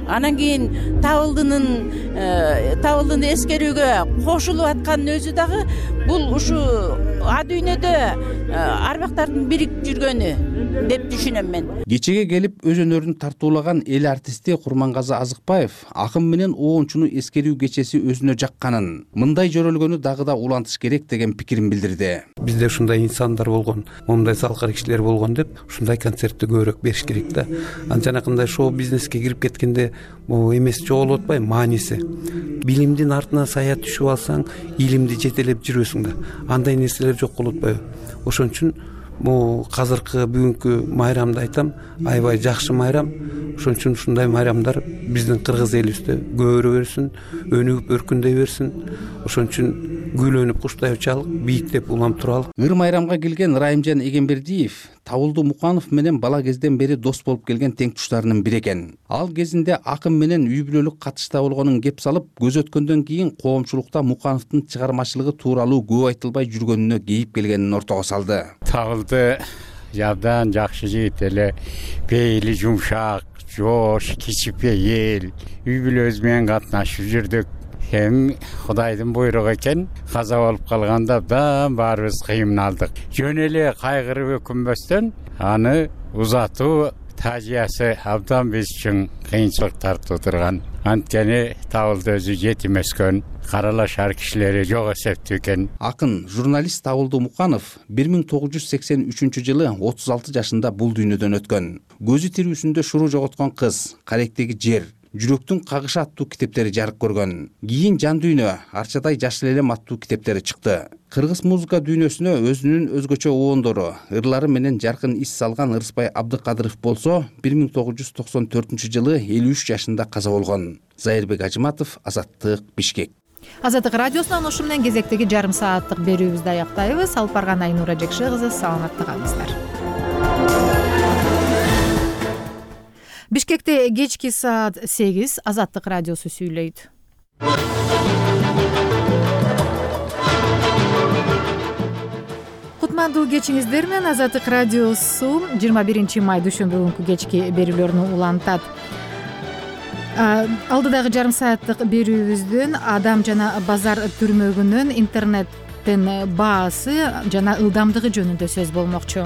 анан кийин Табылдыны эскерүүгө кошулуп аткандын өзү дагы бул ушу а дүйнөдө арбактардын бириктип жүргөнү деп түшүнөм мен. Кечеге келип өз өнөрүн тартуулаган эл артисти Курмангазы Азыкбаев акын менен оончуну эскерүү кечеси өзүнө жакканын, мындай жөрөлгөнү дагы да улантыш керек деген пикирин билдирди. Бизде ушундай инсандар болгон, момундай салкар кишилер болгон деп, ушундай концертти көбүрөөк бериш керек да. Анчанакындай шоу бизнеске кирип кеткенде могу эмес жоголуп атпайбы мааниси. Билимдин артына сая түшүп алсаң, илимди жетелеп жүрөсүң да. Андай нерселер жок болуп атпайбы? Ошон үчүн могу азыркы бүгүнкү майрамды айтам, аябай жакшы майрам. Ошон үчүн ушундай майрамдар биздин кыргыз элибизде көбөрө берсин, өнүгүп өркүндөй берсин. Ошон үчүн күйлөнүп куштай учалык, бийиктеп улам туралык. Ыр майрамга келген Райымжан Эгембердиев Табылды Муканов менен бала кезден бери дос болуп келген тең туштарынын бири экен. Ал кезинде акын менен үй бүлөлүк катышта болгонун кеп салып, көз өткөндөн кийин коомчулукта Мукановдун чыгармачылыгы тууралуу көп айтылбай жүргөнүнө кейип келгенин ортого салды. Табылды жабдан жакшы жигит эле, пейили жумшак, жош, кичипейил, үй бүлөбүз менен катнашып жүрдүк. эми Кудайдын буйругу экен. Каза болуп калганда абдан баарыбыз кыйналдык. Жөн эле кайгырып өкүнбөстөн аны узатуу тажиясы абдан биз үчүн кыйынчылык тартып турган. Анткени табылды өзү жетим өскөн, каралашар кишилери жок эсептүү экен. Акын журналист Табылды Муканов 1983 жылы 36 жашында бул дүйнөдөн өткөн. Көзү тирүүсүндө шуруу жоготкон кыз, Каректеги жер, Жүрөктүн кагышы аттуу китептери жарык көргөн. Кийин Жан дүйнө, Арчадай жашыл элем аттуу китептери чыкты. Кыргыз музыка дүйнөсүнө өзүнүн өзгөчө оондору, ырлары менен жаркын ис салган Ырысбай Абдыкадыров болсо, 1994 жылы 53 жашында каза болгон. Зайырбек Ажыматов, Азаттык, Бишкек. Азаттык радиосунан ушу менен кезектеги жарым сааттык берүүбүздү аяктайбыз. Алып барган Айнура Жекше кызы, саламатта калыңыздар. Бишкекте кечки саат 8 Азаттык радиосу сүйлөйт. Кутмандуу кечиңиздер менен Азаттык радиосу 21 май дүйшөмбү күнкү кечки берүүлөрүн улантат. Алдыдагы жарым сааттык берүүбүздүн адам жана базар түрмөгүнүн интернеттин баасы жана ылдамдыгы жөнүндө сөз болмокчу.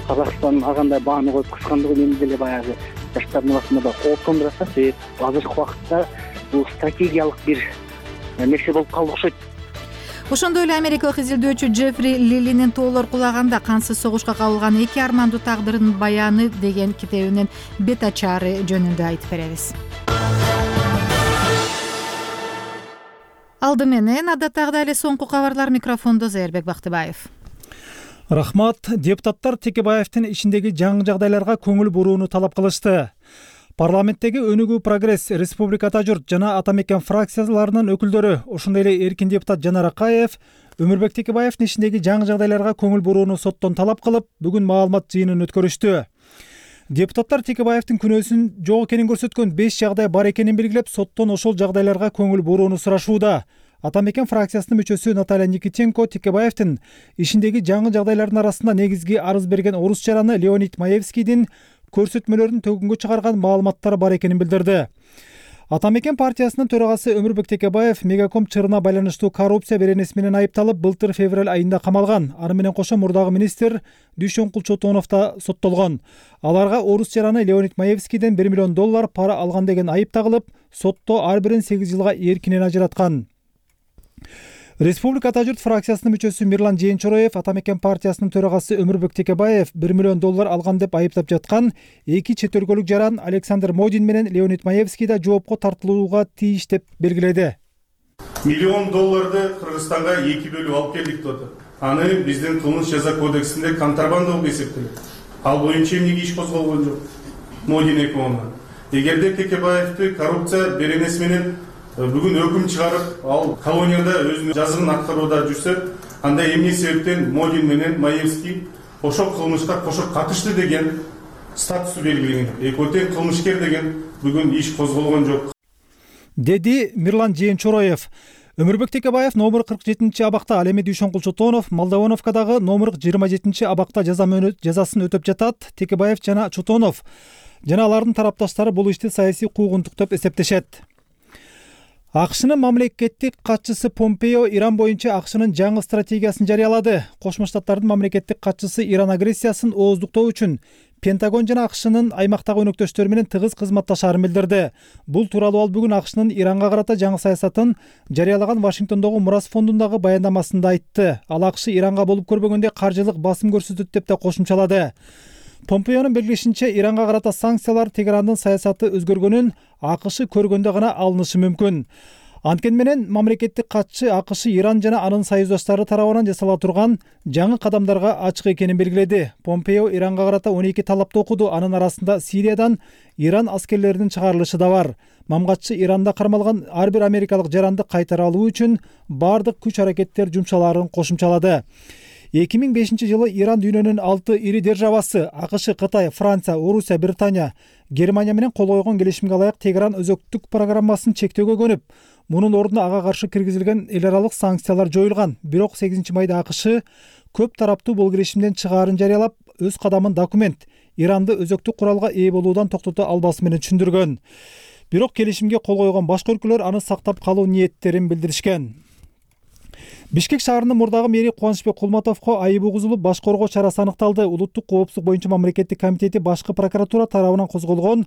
Казакстан агандай бааны коюп кыскандыгы мени деле баягы жаштардын арасында да кооптондуруп атат. Себеби азыркы убакытта бул стратегиялык бир нерсе болуп калды окшойт. Ошондой эле америкалык изилдөөчү Джеффри Лилинин тоолор кулаганда кансыз согушка кабылган эки армандуу тагдырдын баяны деген китебинин бет ачаары жөнүндө айтып беребиз. Алды менен адаттагыдай эле соңку кабарлар, микрофондо Зайырбек Бактыбаев. Рахмат. Депутаттар Текебаевдин ичиндеги жаңы жагдайларга көңүл бурууну талап кылышты. Парламенттеги Өнүгүү Прогресс, Республика Ата журт жана Ата мекен фракцияларынын өкүлдөрү, ошондой эле эркин депутат Жанар Акаев Өмүрбек Текебаевдин ичиндеги жаңы жагдайларга көңүл бурууну соттон талап кылып, бүгүн маалымат жыйынын өткөрүштү. Депутаттар Текебаевдин күнөөсүн жок экенин көрсөткөн 5 жагдай бар экенин белгилеп, соттон ошол жагдайларга көңүл бурууну сурашууда. Ата мекен фракциясынын мүчөсү Наталья Никитенко Текебаевдин ишиндеги жаңы жагдайлардын арасында негизги арыз берген орус жараны Леонид Маевскийдин көрсөтмөлөрүн төгүнгө чыгарган маалыматтары бар экенин билдирди. Ата мекен партиясынын төрагасы Өмүрбек Текебаев Мегаком чырына байланыштуу коррупция беренеси менен айыпталып, былтыр февраль айында камалган. Аны менен кошо мурдагы министр Дүйшөнкул Чотонов да соттолгон. Аларга орус жараны Леонид Маевскийден $1 миллион пара алган деген айып тагылып, сотто ар бирин 8 жылга эркинен ажыраткан. Республика Ата журт фракциясынын мүчөсү Мирлан Жээнчороев Ата мекен партиясынын төрагасы Өмүрбек Текебаев $1 миллион алган деп айыптап жаткан эки чет өлкөлүк жаран Александр Модин менен Леонид Маевский да жоопко тартылууга тийиш деп белгиледи. $1 миллион Кыргызстанга 2 бөлүп алып келдик деп атат. Аны биздин кылмыш жаза кодексинде контрабанда болуп эсептелет. Ал боюнча эмнеге иш козголгон жок? Модин экөөмө. Эгерде Текебаевди коррупция беренеси менен бүгүн өкүм чыгарып, ал колонияда өзүнүн жазыгын аткарууда жүрсө, анда эмне себептен Модин менен Маевский ошол кылмышка кошо катышты деген статусу белгиленген. Экөө тең кылмышкер деген бүгүн иш козголгон жок, деди Мирлан Жээнчороев. Өмүрбек Текебаев номер 47 абакта, ал эми Дүйшөнкул Чотонов Молдовановкадагы номер 27 абакта жазасын өтөп жатат. Текебаев жана Чотонов жана алардын тарапташтары бул ишти саясий куугунтук деп эсептешет. АКШнын мамлекеттик катчысы Помпео Иран боюнча АКШнын жаңы стратегиясын жарыялады. Кошмо Штаттардын мамлекеттик катчысы Иран агрессиясын ооздуктоо үчүн Пентагон жана АКШнын аймактагы өнөктөштөрү менен тыгыз кызматташаарын билдирди. Бул тууралуу ал бүгүн АКШнын Иранга карата жаңы саясатын жарыялаган Вашингтондогу Мурас фондундагы баяндамасында айтты. Ал АКШ Иранга болуп көрбөгөндө каржылык басым көрсөтөт деп да кошумчалады. Помпеонун белгилешинче, Иранга карата санкциялар Тегерандын саясаты өзгөргөнүн АКШ көргөндө гана алынышы мүмкүн. Анткени менен мамлекеттик катчы АКШ Иран жана анын союздаштары тарабынан жасала турган жаңы кадамдарга ачык экенин белгиледи. Помпео Иранга карата 12 талапты окуду. Анын арасында Сириядан Иран аскерлеринин чыгарылышы да бар. Мамгатчы Иранда кармалган ар бир америкалык жаранды кайтара алуу үчүн бардык күч аракеттер жумшалаарын кошумчалады. 2005 жылы Иран дүйнөнүн 6 ири державасы АКШ, Кытай, Франция, Орусия, Британия, Германия менен кол койгон келишимге ылайык Тегеран өзөктүк программасын чектөөгө көнүп, мунун ордуна ага каршы киргизилген эл аралык санкциялар жоюлган. Бирок 8 майда АКШ көп тараптуу бул келишимден чыгаарын жарыялап, өз кадамын документ Иранды өзөктүк куралга ээ болуудан токтото албасы менен түшүндүргөн. Бирок келишимге кол койгон башка өлкөлөр аны сактап калуу ниеттерин билдиришкен. Бишкек шаарынын мурдагы мэри Кубанычбек Кулматовго айып угузулуп, баш коргоо чарасы аныкталды. Улуттук коопсуздук боюнча мамлекеттик комитети башкы прокуратура тарабынан козголгон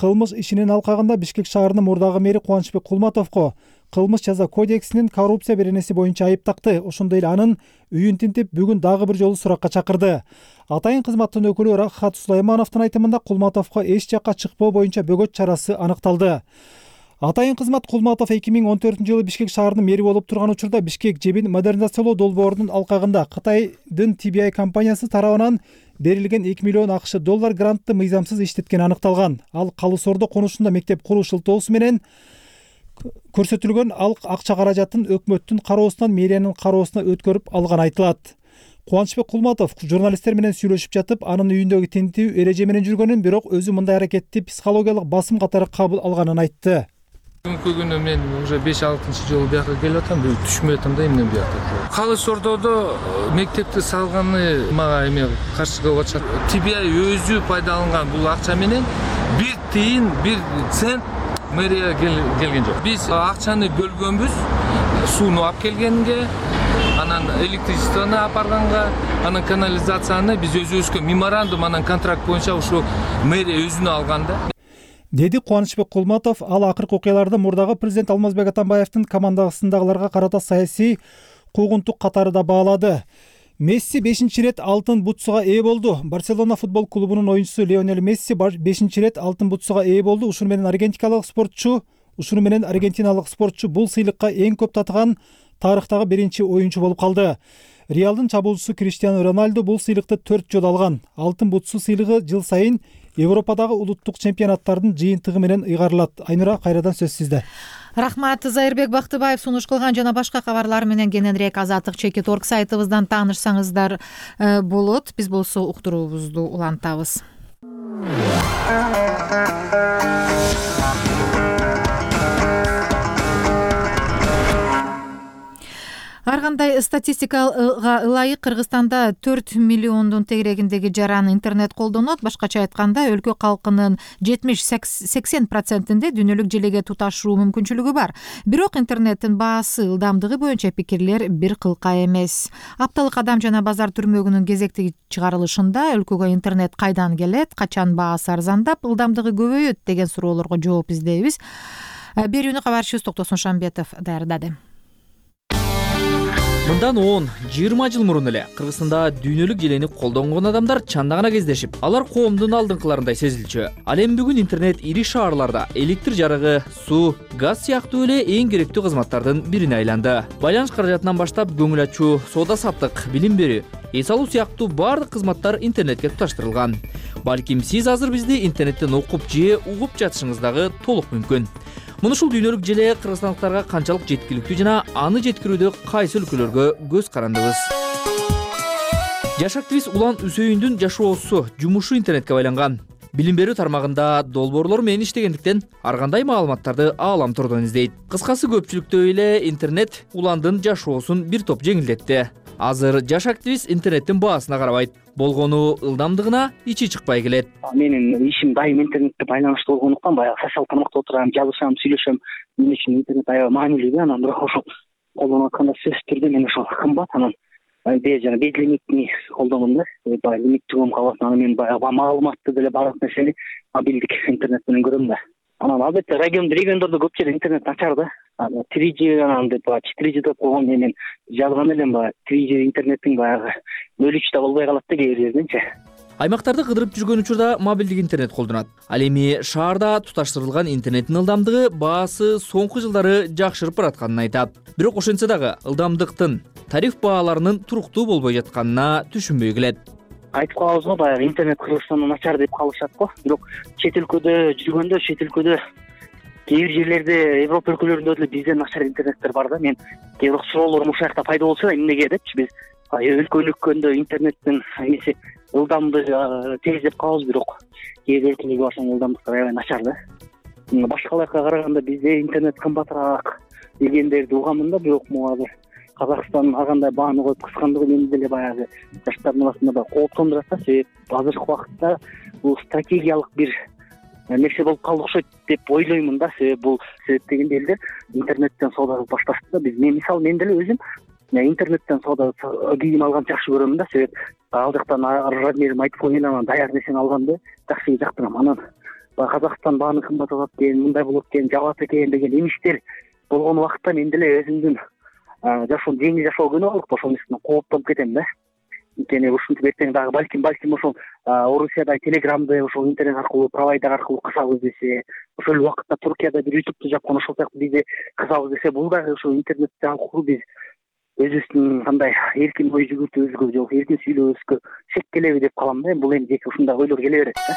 кылмыш ишинин алкагында Бишкек шаарынын мурдагы мэри Кубанычбек Кулматовго кылмыш жаза кодексинин коррупция беренеси боюнча айып такты. Ошондой эле анын үйүн тинтип, бүгүн дагы бир жолу суракка чакырды. Атайын кызматтын өкүлү Рахат Сулаймановдун айтымында Кулматовго эч жакка чыкпоо боюнча бөгөт чарасы аныкталды. Атайын кызмат Кулматов 2014-жылы Бишкек шаарынын мэри болуп турган учурда Бишкек жебин модернизациялоо долбоорунун алкагында Кытайдын TBI компаниясы тарабынан берилген 2 миллион АКШ доллар грантты мыйзамсыз иштеткени аныкталган. Ал Калы Сордо конушунда мектеп куруу шылтоосу менен көрсөтүлгөн ал акча каражатын өкмөттүн кароосунан мэриянын кароосуна өткөрүп алган айтылат. Кубанычбек Кулматов журналисттер менен сүйлөшүп жатып, анын үйүндөгү тинтүү эреже менен жүргөнүн, бирок өзү мындай аракетти психологиялык басым катары кабыл алганын айтты. Бүгүнкү күнү мен уже 5-6 жолу бияка келип атам, түшүнбөй атам да эмне бияка. Калы Сордодо мектепти салганы мага эме каршы кылып атышат. TBI өзү пайдаланган бул акча менен 1 тиын 1 цент мэрия келген жок. Биз акчаны бөлгөнбүз, сууну алып келгенге, анан электричествону апарганга, анан канализацияны биз өзүбүзгө меморандум, анан контракт боюнча ушу мэрия өзүнө алганда, деди Кубанычбек Кулматов. Ал акыркы окуяларды мурдагы президент Алмазбек Атамбаевдин командасындагыларга карата саясий куугунтук катары да баалады. Месси 5-рет алтын бутсуга ээ болду. Барселона футбол клубунун оюнчусу Лионель Месси 5-рет алтын бутсуга ээ болду. Ушуну менен аргентиналык спортчу бул сыйлыкка эң көп татыган тарыхтагы биринчи оюнчу болуп калды. Реалдын чабуучусу Криштиану Роналду бул сыйлыкты 4 жолу алган. Алтын бутсу сыйлыгы жыл сайын Европадагы улуттук чемпионаттардын жыйынтыгы менен ыйгарылат. Айнура, кайрадан сөз сизде. Рахмат. Зайырбек Бактыбаев сунуш кылган жана башка кабарлар менен кененирээк Азаттык.org сайтыбыздан таанышсаңыздар болот. Биз болсо уктуруубузду улантабыз. Ар кандай статистикага ылайык Кыргызстанда 4 миллиондун тегерегиндеги жаран интернет колдонот. Башкача айтканда, өлкө калкынын 70-80%-inde дүйнөлүк желеге туташуу мүмкүнчүлүгү бар. Бирок интернеттин баасы, ылдамдыгы боюнча пикирлер бир кылка эмес. Апталык Адам жана базар түрмөгүнүн кезектеги чыгарылышында өлкөгө интернет кайдан келет, качан баасы арзандап, ылдамдыгы көбөйөт деген суроолорго жооп издейбиз. Берүүнү кабарчыбыз Токтосун Шамбетов даярдады. Мындан 10-20 жыл мурун эле Кыргызстанда дүйнөлүк желени колдонгон адамдар чанда гана кездешип, алар коомдун алдыңкыларындай сезилчү. Ал эми бүгүн интернет ири шаарларда электр жарыгы, суу, газ сыяктуу эле эң керектүү кызматтардын бирине айланды. Байланыш каражатынан баштап көңүл ачуу, соода саттык, билим берүү, эс алуу сыяктуу бардык кызматтар интернетке туташтырылган. Балким сиз азыр бизди интернеттен окуп же угуп жатышыңыз дагы толук мүмкүн. Муну ушул дүйнөлүк желе кыргызстандыктарга канчалык жеткиликтүү жана аны жеткирүүдө кайсы өлкөлөргө көз карандыбыз. Жаш активист Улан Үсөйүндүн жашоосу, жумушу интернетке байланган. Билим берүү тармагында долбоорлор менен иштегендиктен ар кандай маалыматтарды ааламтордон издейт. Кыскасы, көпчүлүктүү эле интернет Уландын жашоосун бир топ жеңилдетти. Азыр жаш активист интернеттин баасына карабайт, болгону ылдамдыгына ичи чыкпай келет. Менин ишим дайым интернетте байланыштуу болгондуктан баягы социалдык тармакта отурам, жазышам, сүйлөшөм. Мен үчүн интернет аябай маанилүү, анан бирок ошол колдонуп атканда сөзсүз түрдө мен ошол кымбат, анан жана безлимитни колдоном да. Баягы лимиттүүгөм калат, анан мен баягы маалыматты деле баардык нерсени мобилдик интернет менен көрөм да. Анан албетте региондордо көп жерде интернет начар да. 3G анан деп 4G деп койгон, мен жазган элем баягы 3G интернеттин баягы бөлүчү да болбой калат да кээ бир жерденчи. Аймактарды кыдырып жүргөн учурда мобилдик интернет колдонот. Ал эми шаарда туташтырылган интернеттин ылдамдыгы, баасы соңку жылдары жакшырып баратканын айтат. Бирок ошентсе дагы ылдамдыктын, тариф бааларынын туруктуу болбой жатканына түшүнбөй келет. Айтып калабыз го, баягы интернет Кыргызстанда начар деп калышат го. Бирок чет өлкөдө жүргөндө, чет өлкөдө кээ бир жерлерде, Европа өлкөлөрүндө деле бизден начар интернеттер бар да. Мен кээ бир суроолорум ушул жакта пайда болсо да, эмнеге депчи, биз өлкө интернеттин эмеси ылдамдыгы тез деп калабыз, бирок кээ бир өлкөлөргө барсаң ылдамдыктар аябай начар да. Башкаларга караганда бизде интернет кымбатыраак дегендерди угамын да, бирок могу Казакстан ар кандай бааны коюп кыскандыгы мени деле баягы жаштардын арасында да кооптондурат да. Себеп азыркы убакытта бул стратегиялык бир нерсе болуп калды окшойт деп ойлоймун да. Себеби бул себеп дегенде элдер интернеттен соода кылып башташты да. Мен деле өзүм интернеттен соода кийим алганды жакшы көрөмүн да. Себеп ал жактан размерин айтып коюн, анан даяр нерсени алганды жакшы жактырам. Анан баягы Казакстан бааны кымбат болот экен, мындай болот экен, жабат экен деген эмиштер болгон убакта мен деле өзүмдүн жашоом жеңил жашоо күнөө алып ошол нерседен кооптонуп кетем да. Анткени ушинтип эртең дагы балким ошол Орусияда телеграмды ошол интернет аркылуу провайдер аркылуу кысабыз десе, ошол убакытта Туркияда бир ютубту жапкан ошол сыяктуу бизде кысабыз десе, бул дагы ошол интернет аркылуу биз өзүбүздүн кандай эркин ой жүгүртүүбүзгө же эркин сүйлөбүзгө шек келеби деп калам да. Бул эми жеке ушундай ойлор келе берет да.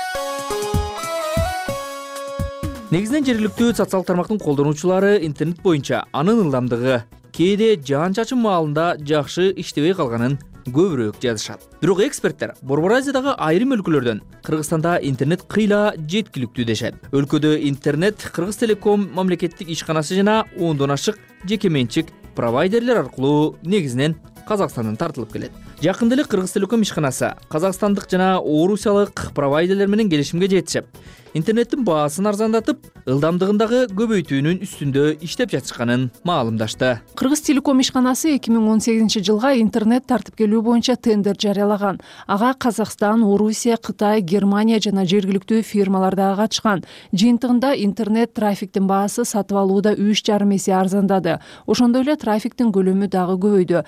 Негизинен жергиликтүү социалдык тармактын колдонуучулары интернет боюнча анын ылдамдыгы кээде жаан чачын маалында жакшы иштебей калганын көбүрөөк жазышат. Бирок эксперттер Борбор Азиядагы айрым өлкөлөрдөн Кыргызстанда интернет кыйла жеткиликтүү дешет. Өлкөдө интернет Кыргыз Телеком мамлекеттик ишканасы жана 10дон ашык жеке менчик провайдерлер аркылуу негизинен Казакстандан тартылып келет. Жакында эле Кыргыз Телеком ишканасы казакстандык жана орусиялык провайдерлер менен келишимге жетишип, интернеттин баасын арзандатып, ылдамдыгындагы көбөйтүүнүн үстүндө иштеп жатышканын маалымдашты. Кыргыз Телеком ишканасы 2018-жылга интернет тартып келүү боюнча тендер жарыялаган. Ага Казакстан, Орусия, Кытай, Германия жана жергиликтүү фирмалар дагы катышкан. Жыйынтыгында интернет трафиктин баасы сатып алууда 3,5 эсе арзандады. Ошондой эле трафиктин көлөмү дагы көбөйдү.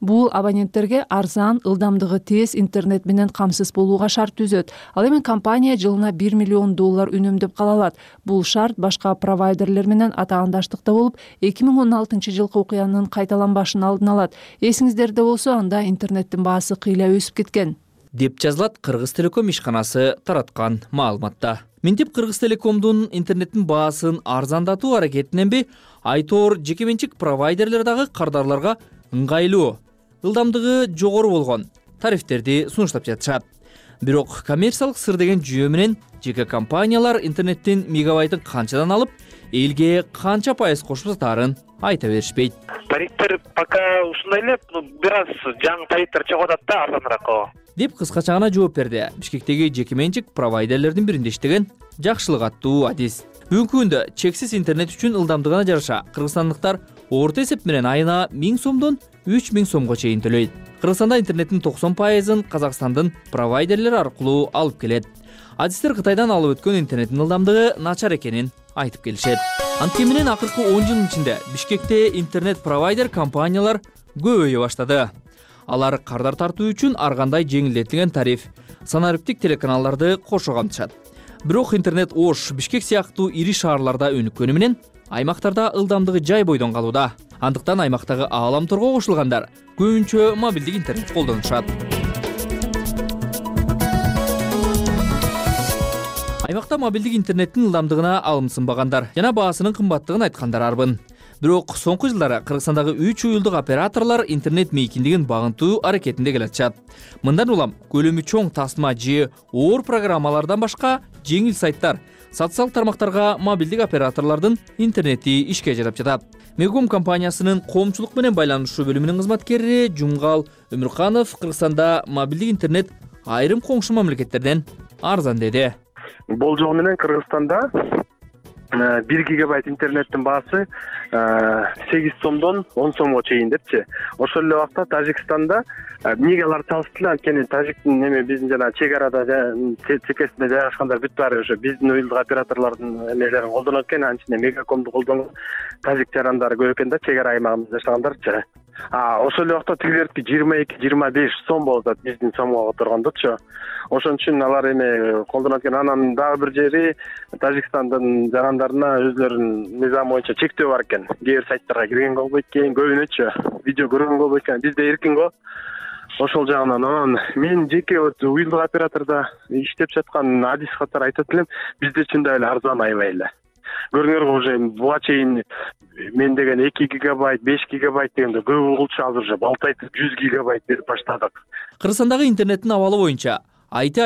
Бул абоненттерге арзан, ылдамдыгы тез интернет менен камсыз болууга шарт түзөт. Ал эми компания жылына $1 миллион үнөмдөп кала алат. Бул шарт башка провайдерлер менен атаандаштыкта болуп, 2016-жылкы окуянын кайталанбашын алдын алат. Эсиңиздерде болсо, анда интернеттин баасы кыйла өсүп кеткен деп жазылат Кыргыз Телеком ишканасы тараткан маалыматта. Минтип Кыргыз Телекомдун интернеттин баасын арзандатуу аракетиненби, айтор жеке менчик провайдерлер дагы кардарларга ыңгайлуу, ылдамдыгы жогору болгон тарифтерди сунуштап жатышат. Бирок коммерциялык сыр деген жүйө менен жеке компаниялар интернеттин мегабайтын канчадан алып, элге канча пайыз кошуп сатаарын айта беришпейт. Тарифтер пока ушундай эле, бир аз жаңы тарифтер чыгып атат да, арзаныраак деп кыскача гана жооп берди Бишкектеги жеке менчик провайдерлердин биринде иштеген Жакшылык аттуу Адис. Бүгүнкү күндө чексиз интернет үчүн ылдамдыгына жараша кыргызстандыктар орто эсеп менен айына 1000 сомдон 3000 сомго чейин төлөйт. Кыргызстанда интернеттин 90%-ын Казакстандын провайдерлери аркылуу алып келет. Адистер Кытайдан алып өткөн интернеттин ылдамдыгы начар экенин айтып келишет. Анткени менен акыркы 10 жылдын ичинде Бишкекте интернет провайдер компаниялар көбөйө баштады. Алар кардар тартуу үчүн ар кандай жеңилдетилген тариф, санариптик телеканалдарды кошо камтышат. Бирок интернет Ош, Бишкек сыяктуу ири шаарларда өнүккөнү менен аймактарда ылдамдыгы жай бойдон калууда. Андыктан аймактагы ааламторго кошулгандар көбүнчө мобилдик интернет колдонушат. Аймакта мобилдик интернеттин ылдамдыгына алымсынбагандар жана баасынын кымбаттыгын айткандар арбын. Бирок соңку жылдары Кыргызстандагы 3 уюлдук операторлор интернет мейкиндигин багынтуу аракетинде келатышат. Мындан улам көлөмү чоң тасма же оор программалардан башка жеңил сайттар, социалдык тармактарга мобилдик операторлордун интернети ишке жарап жатат. Мегом компаниясынын коомчулук менен байланышуу бөлүмүнүн кызматкери Жумгал Өмүрканов Кыргызстанда мобилдик интернет айрым коңшу мамлекеттерден арзан деди. Болжол менен Кыргызстанда 1 гигабайт интернеттин баасы 8 сомдон 10 сомго чейин депчи. Ошол эле убакта Тажикстанда эмнеге алар салыштылар, анткени Тажиктин биздин жана чек арада чекесинде жайгашкандар бүт баары ошо биздин уюлдук операторлордун эмелерин колдонот экен, анын ичинде Мегакомду колдонгон тажик жарандары көп экен да, чек ара аймагыбызда жашагандарчы. Ошол эле убакта тигилердики 22-25 сом болуп атат биздин сомго которгондочу. Ошон үчүн алар эме колдонот экен. Анан дагы бир жери Тажикстандын жарандарына өзлөрүнүн мыйзамы боюнча чектөө бар экен. Кээ бир сайттарга киргенге болбойт экен, көбүнөчү видео көргөнгө болбойт экен. Бизде эркин го. Ошол жагынан анан мен жеке уюлдук оператордо иштеп жаткан Адис катары айтат элем, бизде чындап эле арзан аябай эле. Көрүңөр, уже буга чейин мен деген 2 гигабайт, 5 гигабайт дегенде көп кылчу, азыр уже балтайтып 100 гигабайт берип баштадык. Кыргызстандагы интернеттин абалы боюнча Айти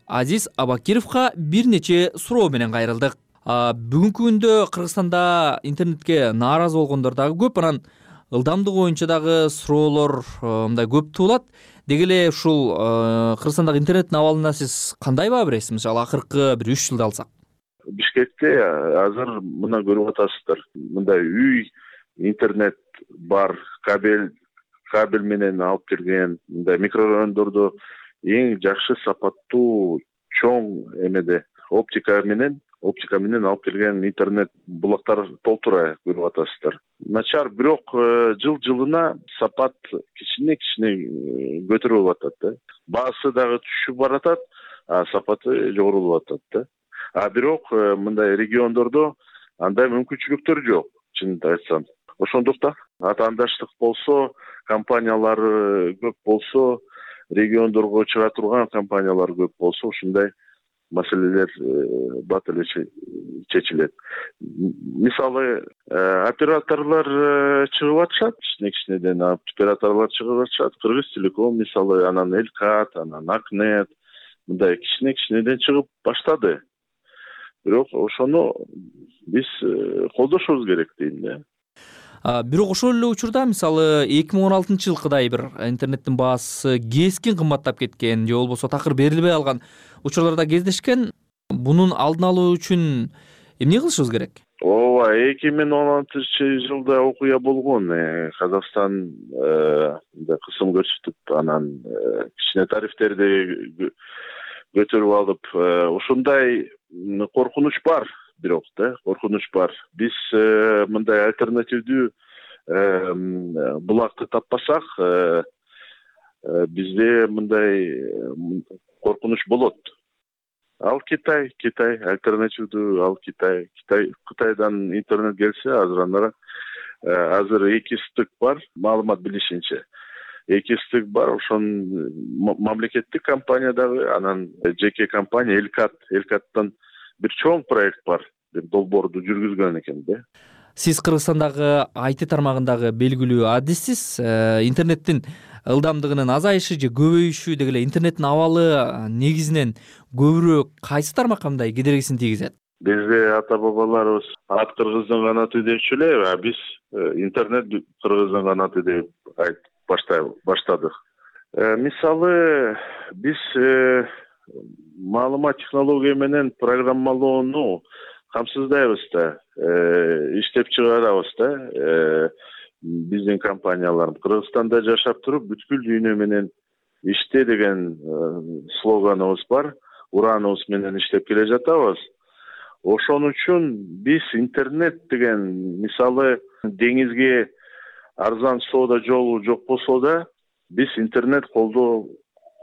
Азиз Абакировго бир нече суроо менен кайрылдык. Бүгүнкү күндө Кыргызстанда интернетке нааразы болгондор дагы көп, анан ылдамдыгы боюнча дагы суроолор мындай көп туулат. Деги эле ушул Кыргызстандагы интернеттин абалына сиз кандай баа бересиз? Мисалы акыркы бир 3 жылды алсак. Бишкекте азыр мына көрүп атасыздар. Мындай үй интернет бар, кабель менен алып келген, мындай микрорайондордо эң жакшы сапаттуу чоң эмеде оптика менен алып келген интернет булактар толтура көрүп атасыздар. Начар, бирок жылына сапат кичине көтөрүлүп атат да. Баасы дагы түшүп баратат, сапаты жогорулуп атат да. Бирок мындай региондордо андай мүмкүнчүлүктөр жок, чынын айтсам. Ошондуктан атаандаштык болсо, компаниялары көп болсо, региондорго чыга турган компаниялар көп болсо, ушундай маселелер бат эле чечилет. Мисалы, операторлор чыгып атышат, кичинеден операторлор чыгып атышат. Кыргыз Телеком мисалы, анан Элкат, анан Акнет мындай кичинеден чыгып баштады. Бирок ошону биз колдошубуз керек дейм да. Бирок ошол эле учурда мисалы 2016-жылкыдай бир интернеттин баасы кескин кымбаттап кеткен же болбосо такыр берилбей алган учурларда кездешкен. Бунун алдын алуу үчүн эмне кылышыбыз керек? Ооба, 2016-жылда окуя болгон. Казакстан кысым көрсөтүп, анан кичине тарифтерди көтөрүп алып, ушундай коркунуч бар. Бирок коркунуч бар. Биз мындай альтернативдүү булакты таппасак, бизде мындай коркунуч болот. Ал Китай альтернативдүү, ал Кытайдан интернет келсе, азыр эки стык бар, маалымат билишинче. Эки стык бар, ошон мамлекеттик компания дагы, анан жеке компания Элкаттан бир чоң проект бар, деп долбоорду жүргүзгөн экен да. Сиз Кыргызстандагы IT тармагындагы белгилүү адиссиз. Интернеттин ылдамдыгынын азайышы же көбөйүшү деги эле интернеттин абалы негизинен көбүрөөк кайсы тармакка мындай кедергисин тийгизет? Бизде ата-бабаларыбыз ат кыргыздын канаты депчү эле, биз интернет кыргыздын канаты деп айтып баштадык. Мисалы, биз маалымат технология менен программалоону камсыздайбыз да, иштеп чыгарабыз да. Биздин компанияларыбыз Кыргызстанда жашап туруп, бүткүл дүйнө менен иште деген слоганыбыз бар. Ураныбыз менен иштеп келе жатабыз. Ошон үчүн биз интернет деген, мисалы, деңизге арзан соода жолу жок болсо да, биз интернет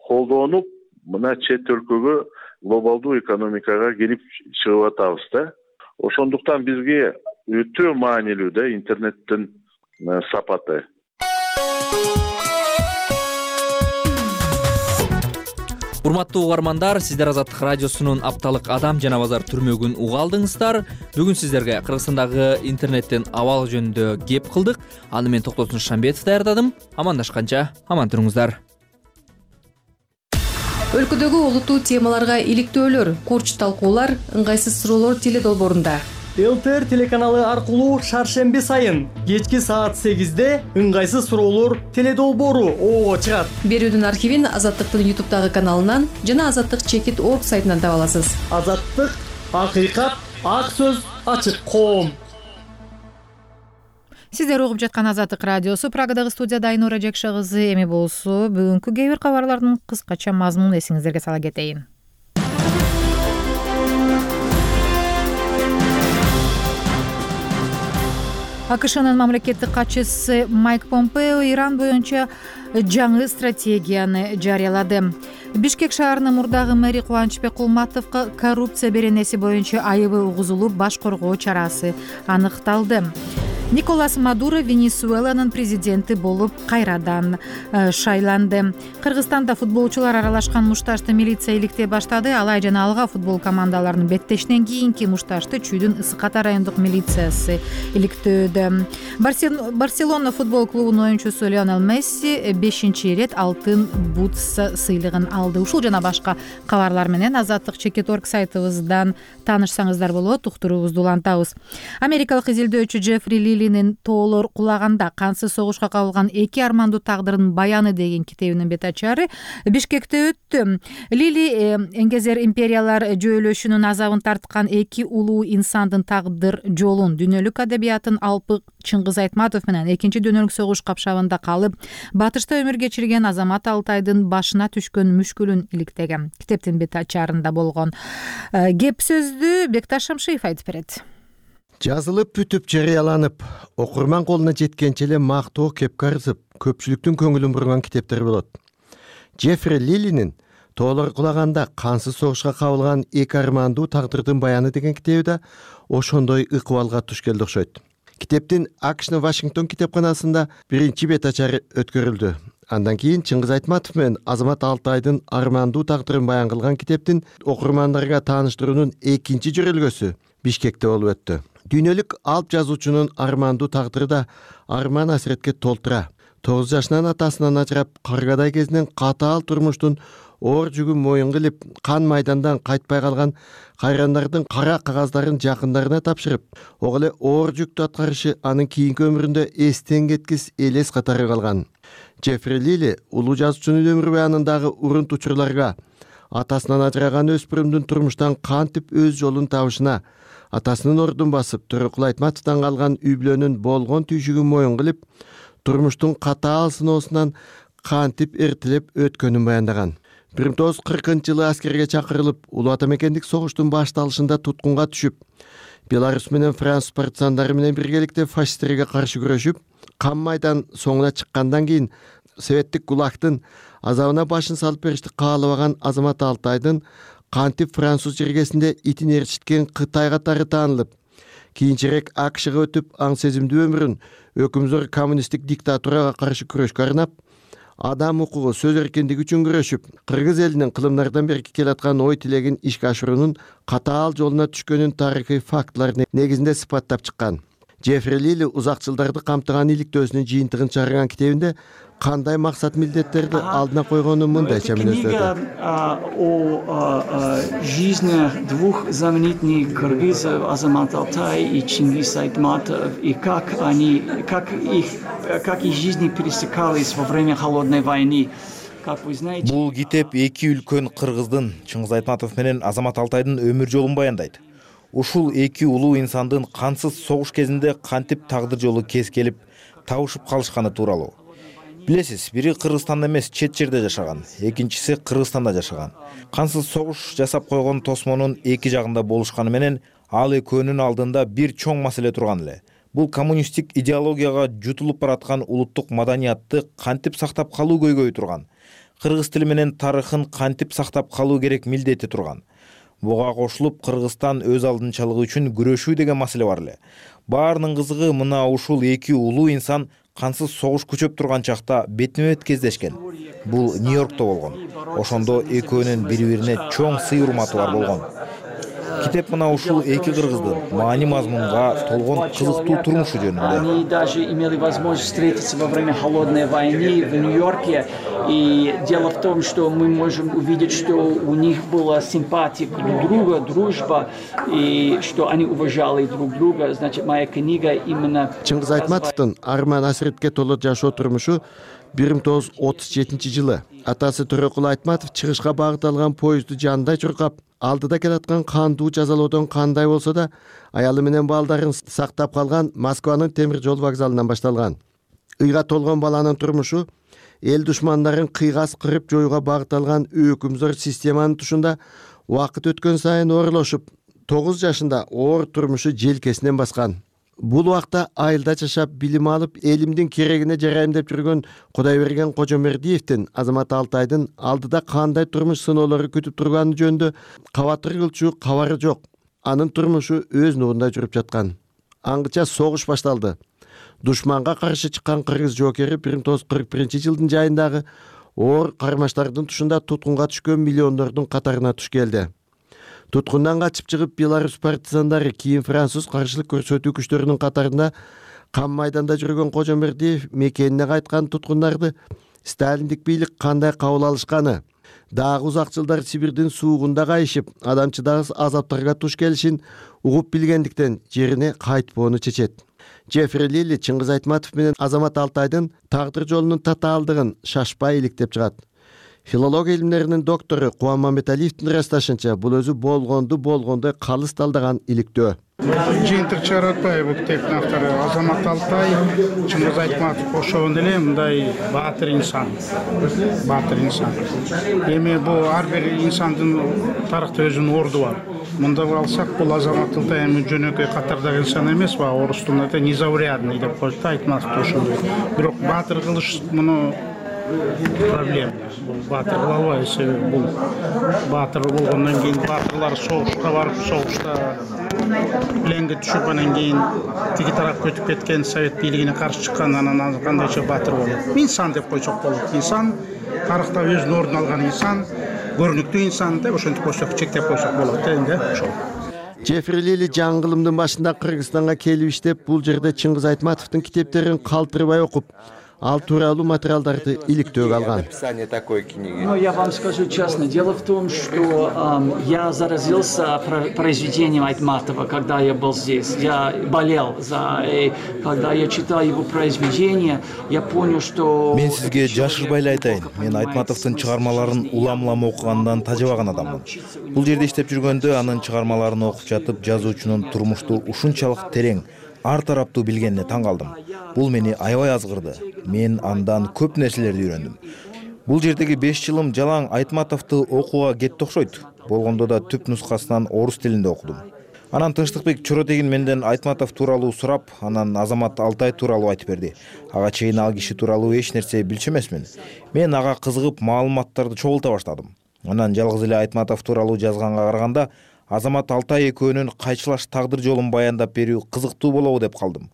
колдонуп, мына чет өлкөгө, глобалдуу экономикага келип чыгып атабыз да. Ошондуктан бизге өтө маанилүү да интернеттин сапаты. Урматтуу угармандар, сиздер Азаттык радиосунун апталык адам жана базар түрмөгүн уга алдыңыздар. Бүгүн сиздерге Кыргызстандагы интернеттин абалы жөнүндө кеп кылдык. Аны мен Токтосун Шамбетов даярдадым. Амандашканча аман туруңуздар. Өлкөдөгү олуттуу темаларга иликтөөлөр, курч талкуулар, ыңгайсыз суроолор теле долбоорунда. ЛТР телеканалы аркылуу шаршемби сайын кечки саат 8-де ыңгайсыз суроолор теле долбоору ого чыгат. Берүүдүн архивин Азаттыктын YouTube каналынан жана azattik.org сайтынан таба аласыз. Азаттык, акыйкат, ак сөз, ачык коом. Сиздер угуп жаткан Азаттык радиосу. Прагадагы студияда Айнура Жекше кызы. Эми болсо бүгүнкү кээ бир кабарлардын кыскача мазмунун эсиңиздерге сала кетейин. АКШнын мамлекеттик катчысы Майк Помпео Иран боюнча жаңы стратегияны жарыялады. Бишкек шаарынын мурдагы мэри Кубанычбек Кулматовго коррупция беренеси боюнча айыбы угузулуп, баш коргоо чарасы аныкталды. Николас Мадуро Венесуэланын президенти болуп кайрадан шайланды. Кыргызстанда футболчулар аралашкан мушташты милиция иликтей баштады. Алай жана Алга футбол командаларынын беттешинен кийинки мушташты Чүйдүн Ысык Ата райондук милициясы иликтөөдө. Барселона футбол клубунун оюнчусу Лионел Месси 5-ирет алтын бут сыйлыгын алды. Ушул жана башка кабарлар менен azattik.org сайтыбыздан таанышсаңыздар болот. Уктуруубузду улантабыз. Америкалык изилдөөчү Джеффри Ли Лилинин тоолор кулаганда кансыз согушка кабылган эки армандуу тагдырдын баяны деген китебинин бет ачары Бишкекте өттү. Лили Эңгезер империялар жөөлөшүнүн азабын тарткан эки улуу инсандын тагдыр жолун, дүйнөлүк адабиятын алпы Чыңгыз Айтматов менен экинчи дүйнөлүк согуш капшабында калып, батышта өмүр кечирген Азамат Алтайдын башына түшкөн мүшкүлүн иликтеген. Китептин бет ачарында болгон кеп сөздү Бекташ Шамшиев айтып берет. Жазылып бүтүп жарыяланып, окурман колуна жеткенче эле мактоо кеп карызып, көпчүлүктүн көңүлүн бурган китептер болот. Джеффри Лилинин тоолор кулаганда кансыз согушка кабылган эки армандуу тагдырдын баяны деген китеби да ошондой ыкыбалга туш келди окшойт. Китептин АКШнын Вашингтон китепканасында биринчи бет ачары өткөрүлдү. Андан кийин Чыңгыз Айтматов менен Азамат Алтайдын армандуу тагдырын баян кылган китептин окурмандарга тааныштыруунун экинчи жөрөлгөсү Бишкекте болуп өттү. Дүйнөлүк алп жазуучунун армандуу тагдыры да арман асиретке толтура. 9 жашынан атасынан ажырап, каргадай кезинен катаал турмуштун оор жүгүн моюн кылып, кан майдандан кайтпай калган кайрандардын кара кагаздарын жакындарына тапшырып, ого эле оор жүктү аткарышы анын кийинки өмүрүндө эстен кеткис элес катары калган. Джеффри Лили улуу жазуучунун өмүр баянындагы урунт учурларга, атасынан ажыраган өспүрүмдүн турмуштан кантип өз жолун табышына, атасынын ордун басып, Төрөкул Айтматовдон калган үй бүлөнүн болгон түйшүгүн моюн кылып, турмуштун катаал сыноосунан кантип эртелеп өткөнүн баяндаган. 1940-жылы аскерге чакырылып, улуу ата мекендик согуштун башталышында туткунга түшүп, Беларусь менен Франц партизандары менен биргеликте фашисттерге каршы күрөшүп, кан майдан соңуна чыккандан кийин советтик гулагтын азабына башын салып беришти каалабаган Азамат Алтайдын кантип француз жергесинде итин ээрчиткен Кытай катары таанылып, кийинчерээк АКШга өтүп, аң сезимдүү өмүрүн өкүмзөр коммунисттик диктатурага каршы күрөшкө арнап, адам укугу, сөз эркиндиги үчүн күрөшүп, кыргыз элинин кылымдардан берки келаткан ой тилегин ишке ашыруунун катаал жолуна түшкөнүн тарыхый фактылар негизинде сыпаттап чыккан. Джеффри Лили узак жылдарды камтыган иликтөөсүнүн жыйынтыгын чыгарган китебинде кандай максат милдеттерди алдына койгонун мындайча мүнөздөдү. О жизнях двух знаменитых кыргызов Азамат Алтай и Чингис Айтматов, и как их жизни пересекались во время холодной войны. Бул китеп эки үлкөн кыргыздын, Чыңгыз Айтматов менен Азамат Алтайдын өмүр жолун баяндайт. Ушул эки улуу инсандын кансыз согуш кезинде кантип тагдыр жолу кескелип, табышып калышканы тууралуу. Билесиз, бири Кыргызстанда эмес, чет жерде жашаган, экинчиси Кыргызстанда жашаган. Кансыз согуш жасап койгон тосмонун эки жагында болушканы менен ал экөөнүн алдында бир чоң маселе турган эле. Бул коммунисттик идеологияга жутулуп бараткан улуттук маданиятты кантип сактап калуу көйгөйү турган. Кыргыз тили менен тарыхын кантип сактап калуу керек милдети турган. Буга кошулуп, Кыргызстан өз алдынчалыгы үчүн күрөшүү деген маселе бар эле. Баарынын кызыгы мына ушул эки улуу инсан кансыз согуш күчөп турган чакта бетме-бет кездешкен. Бул Нью-Йоркто болгон. Ошондо экөөнүн бири-бирине чоң сый урматы бар болгон. Китеп мына ушул эки кыргыздын маани мазмунга толгон кызыктуу турмушу жөнүндө. Они даже имели возможность встретиться во время холодной войны в Нью-Йорке. И дело в том, что мы можем увидеть, что у них была симпатия друг друга, дружба, и что они уважали друг друга. Значит, моя книга именно... Чыңгыз Айтматовдун арман асиретке толо жашоо турмушу 1937-жылы. Атасы Төрөкул Айтматов чыгышка багыт алган поездду жандай чуркап, алдыда келаткан кандуу жазалоодон кандай болсо да, аялы менен балдарын сактап калган Москванын темир жол вокзалынан башталган. Ыйга толгон баланын турмушу эл душмандарын кыйгас кырып жоюуга багыт алган өкүмзөр системанын тушунда убакыт өткөн сайын оорлошуп, 9 жашында оор турмушу желкесинен баскан. Бул убакта айылда жашап, билим алып, элимдин керегине жарайм деп жүргөн Кудайберген Кожомердиевдин Азамат Алтайдын алдыда кандай турмуш сыноолору күтүп турганы жөнүндө кабатыр кылчу кабары жок. Анын турмушу өз нугунда жүрүп жаткан. Аңгыча согуш башталды. Душманга каршы чыккан кыргыз жоокери 1941-жылдын жайындагы оор кармаштардын тушунда туткунга түшкөн миллиондордун катарына туш келди. Туткундан качып чыгып, Беларусь партизандары, кийин француз каршылык көрсөтүү күчтөрүнүн катарында кан майданда жүргөн Кожомердиев мекенине кайткан туткундарды сталиндик бийлик кандай кабыл алышканы, дагы узак жылдар Сибирдин суугунда кайышып, адамчыдагы азаптарга туш келишин угуп билгендиктен жерине кайтпоону чечет. Джеффри Лили Чыңгыз Айтматов менен Азамат Алтайдын тагдыр жолунун татаалдыгын шашпай иликтеп чыгат. Филология илимдеринин доктору Кубан Мамедалиевдин ырасташынча, бул өзү болгондой калыс талдаган иликтөө. Жыйынтык чыгарып атпайбы бул китептин автору Азамат Алтай, Чыңгыз Айтматов ошондой эле мындай баатыр инсан. Эми бул ар бир инсандын тарыхта өзүнүн орду бар. Мында алсак, бул Азамат Алтай эми жөнөкөй катардагы инсан эмес, орустун незаурядный деп коет да, Айтматов ошондой. Бирок баатыр кылыш муну проблема. Баатыр кыла албайбыз, себеби бул баатыр болгондон кийин баатырлар согушка барып, согушта пленге түшүп, анан кийин тиги тарапка өтүп кеткен, совет бийлигине каршы чыккан, анан кандайча баатыр болот. Инсан деп койсок болот. Инсан тарыхта өзүнүн ордун алган инсан, көрүнүктүү инсан деп ошентип койсок, чектеп койсок болот энди ошол. Джеффри Лили жаңгылымдын башында Кыргызстанга келип иштеп, бул жерде Чыңгыз Айтматовдун китептерин калтырбай окуп, ал тууралуу материалдарды иликтөөгө алган. Ну, я вам скажу честно, дело в том, что я заразился произведением Айтматова, когда я был здесь. Я болел когда я читал его произведения, я понял, что... Мен сизге жашырбай эле айтайын, мен Айтматовдун чыгармаларын улам-улам окугандан тажабаган адаммын. Бул жерде иштеп жүргөндө анын чыгармаларын окуп жатып, жазуучунун турмушту ушунчалык терең, ар тараптуу билгенине таң калдым. Бул мени аябай азгырды. Мен андан көп нерселерди үйрөндүм. Бул жердеги 5 жылым жалаң Айтматовду окууга кетти окшойт. Болгондо да түп нускасынан орус тилинде окудум. Анан Тынчтыкбек Чоротегин менден Айтматов тууралуу сурап, анан Азамат Алтай тууралуу айтып берди. Ага чейин ал киши тууралуу эч нерсе билчү эмесмин. Мен ага кызыгып маалыматтарды чогулта баштадым. Анан жалгыз эле Айтматов тууралуу жазганга караганда Азамат Алтай экөөнүн кайчылаш тагдыр жолун баяндап берүү кызыктуу болобу деп калдым.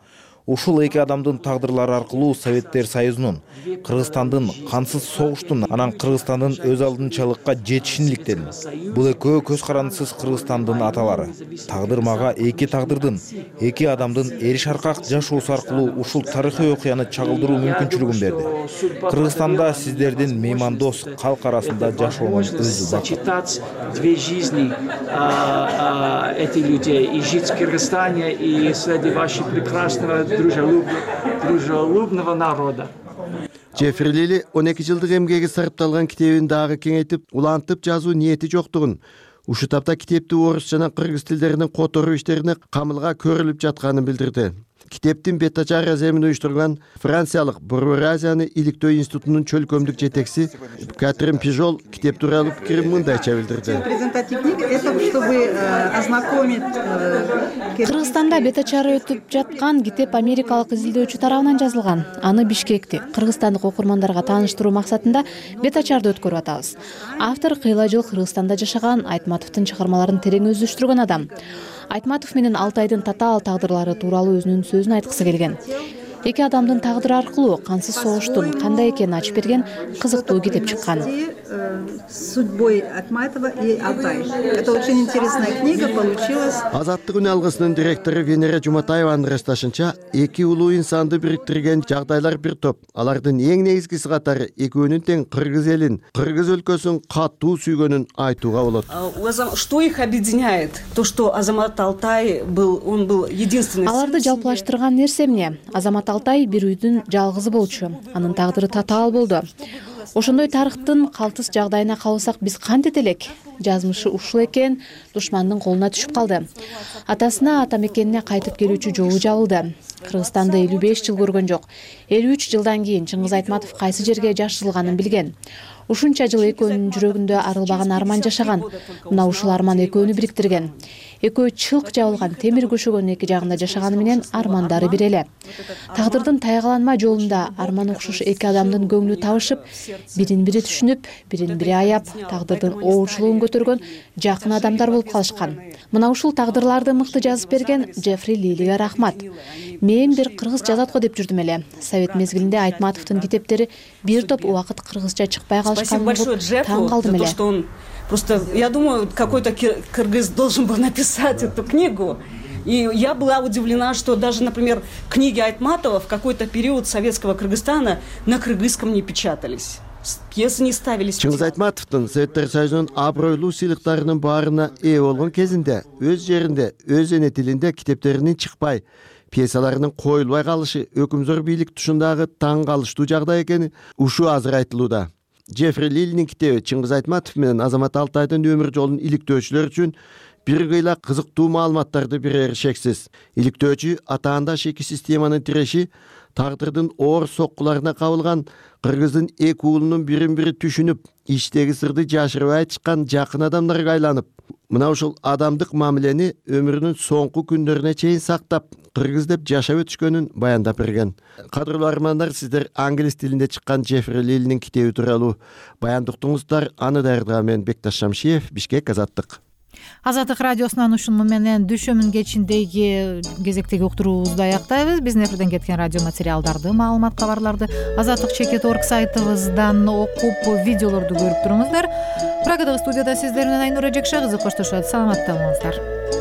Ушул эки адамдын тагдырлары аркылуу Советтер Союзунун, Кыргызстандын кансыз согуштун, анан Кыргызстандын өз алдынчалыкка жетишин иликтедим. Бул экөө көз карандысыз Кыргызстандын аталары. Тагдыр мага эки тагдырдын, эки адамдын эриш аркак жашоосу аркылуу ушул тарыхый окуяны чагылдыруу мүмкүнчүлүгүн берди. Кыргызстанда сиздердин меймандос калк арасында жашооңуз өзү бакыт. Две жизни этих людей, и жить в Кыргызстане, и среди ваших прекрасного дружелюбного народа. Джеффри Лили 12 жылдык эмгеги сарпталган китебин дагы кеңейтип, улантып жазуу ниети жоктугун, ушу тапта китепти орус жана кыргыз тилдеринин которуу иштерине камылга көрүлүп жатканын билдирди. Китептин бет-ачар эземин уюштурган франциялык Буржуазияны иликтөө институтунун чөлкөмдүк жетекчиси Катрин Пижол китеп тууралуу пикирин мындайча билдирди. Кыргызстанда бет-ачары өтүп жаткан китеп америкалык изилдөөчү тарабынан жазылган. Аны Бишкекти кыргызстандык окурмандарга тааныштыруу максатында бет-ачарды өткөрүп атабыз. Автор кыйла жыл Кыргызстанда жашаган, Айтматовдун чыгармаларын терең өздөштүргөн адам. Айтматов менен Алтайдын татаал тагдырлары тууралуу өзүнүн сөзүн айткысы келген. Эки адамдын тагдыры аркылуу кансыз согуштун кандай экенин ачып берген кызыктуу китеп чыккан. Судьбой Айтматова и Алтай. Это очень интересная книга получилась. Азаттык үн алгысынын директору Венера Жуматаеванын ырасташынча, эки улуу инсанды бириктирген жагдайлар бир топ. Алардын эң негизгиси катары экөөнүн тең кыргыз элин, кыргыз өлкөсүн катуу сүйгөнүн айтууга болот. Что их объединяет? То, что Азамат Алтай он был единственный. Аларды жалпылаштырган нерсе эмне? Азамат Алтай бир үйдүн жалгызы болчу. Анын тагдыры татаал болду. Ошондой тарыхтын калтыс жагдайына калсак биз кантет элек? Жазмышы ушул экен, душмандын колуна түшүп калды. Атасына, ата мекенине кайтып келүүчү жолу жабылды. Кыргызстанды 55 жыл көргөн жок. 53 жылдан кийин Чыңгыз Айтматов кайсы жерге жашырылганын билген. Ушунча жыл экөөнүн жүрөгүндө арылбаган арман жашаган. Мына ушул арман экөөнү бириктирген. Экөө чылк жабылган темир көшөгөнүн эки жагында жашаганы менен армандары бир эле. Тагдырдын тайгаланма жолунда арман окшош эки адамдын көңлү табышып, бирин бири түшүнүп, бирин бири аяп, тагдырдын оочулугун көтөргөн жакын адамдар болуп калышкан. Мына ушул тагдырларды мыкты жазып берген Джеффри Лилиге рахмат. Мен бир кыргыз жазат го деп жүрдүм эле. Совет мезгилинде Айтматовдун китептери бир топ убакыт кыргызча чыкпай калышканын угуп таң калдым эле. Просто, я думаю, какой-то кыргыз должен был написать эту книгу. И я была удивлена, что даже, например, книги Айтматова в какой-то период советского Кыргызстана на кыргызском не печатались. Пьесы не ставились. Чыңгыз Айтматовдун Советтер Союзунун абройлуу сыйлыктарынын баарына ээ болгон кезинде өз жеринде, өз эне тилинде китептеринин чыкпай, пьесаларынын коюлбай калышы өкүмзөр бийлик тушундагы таң калыштуу жагдай экени ушул азыр айтылууда. Джеффри Лилинин китеби Чыңгыз Айтматов менен Азамат Алтайдын өмүр жолун иликтөөчүлөр үчүн бир кыйла кызыктуу маалыматтарды берери шексиз. Иликтөөчү атаандаш эки системанын тиреши, тагдырдын оор соккуларына кабылган, кыргыздын эки уулунун бирин бири түшүнүп, ичтеги сырды жашырбай айтышкан жакын адамдарга айланып, мына ушул адамдык мамилени өмүрүнүн соңку күндөрүнө чейин сактап, кыргыз деп жашап өтүшкөнүн баяндап берген. Кадырлуу армандар, сиздер англис тилинде чыккан Джеффри Лилинин китеби тууралуу баяндыктыңыздар. Аны даярдаган мен Бекташ Шамшиев, Бишкек, Азаттык. Азаттык радиосунан ушуну менен дүшөмүн кечиндеги кезектеги уктуруубузду аяктайбыз. Биздин эфирден кеткен радио материалдарды, маалымат, кабарларды azattik.org сайтыбыздан окуп, видеолорду көрүп туруңуздар. Прагадагы студияда сиздер менен Айнура Жекше кызы коштошот. Саламатта болуңуздар.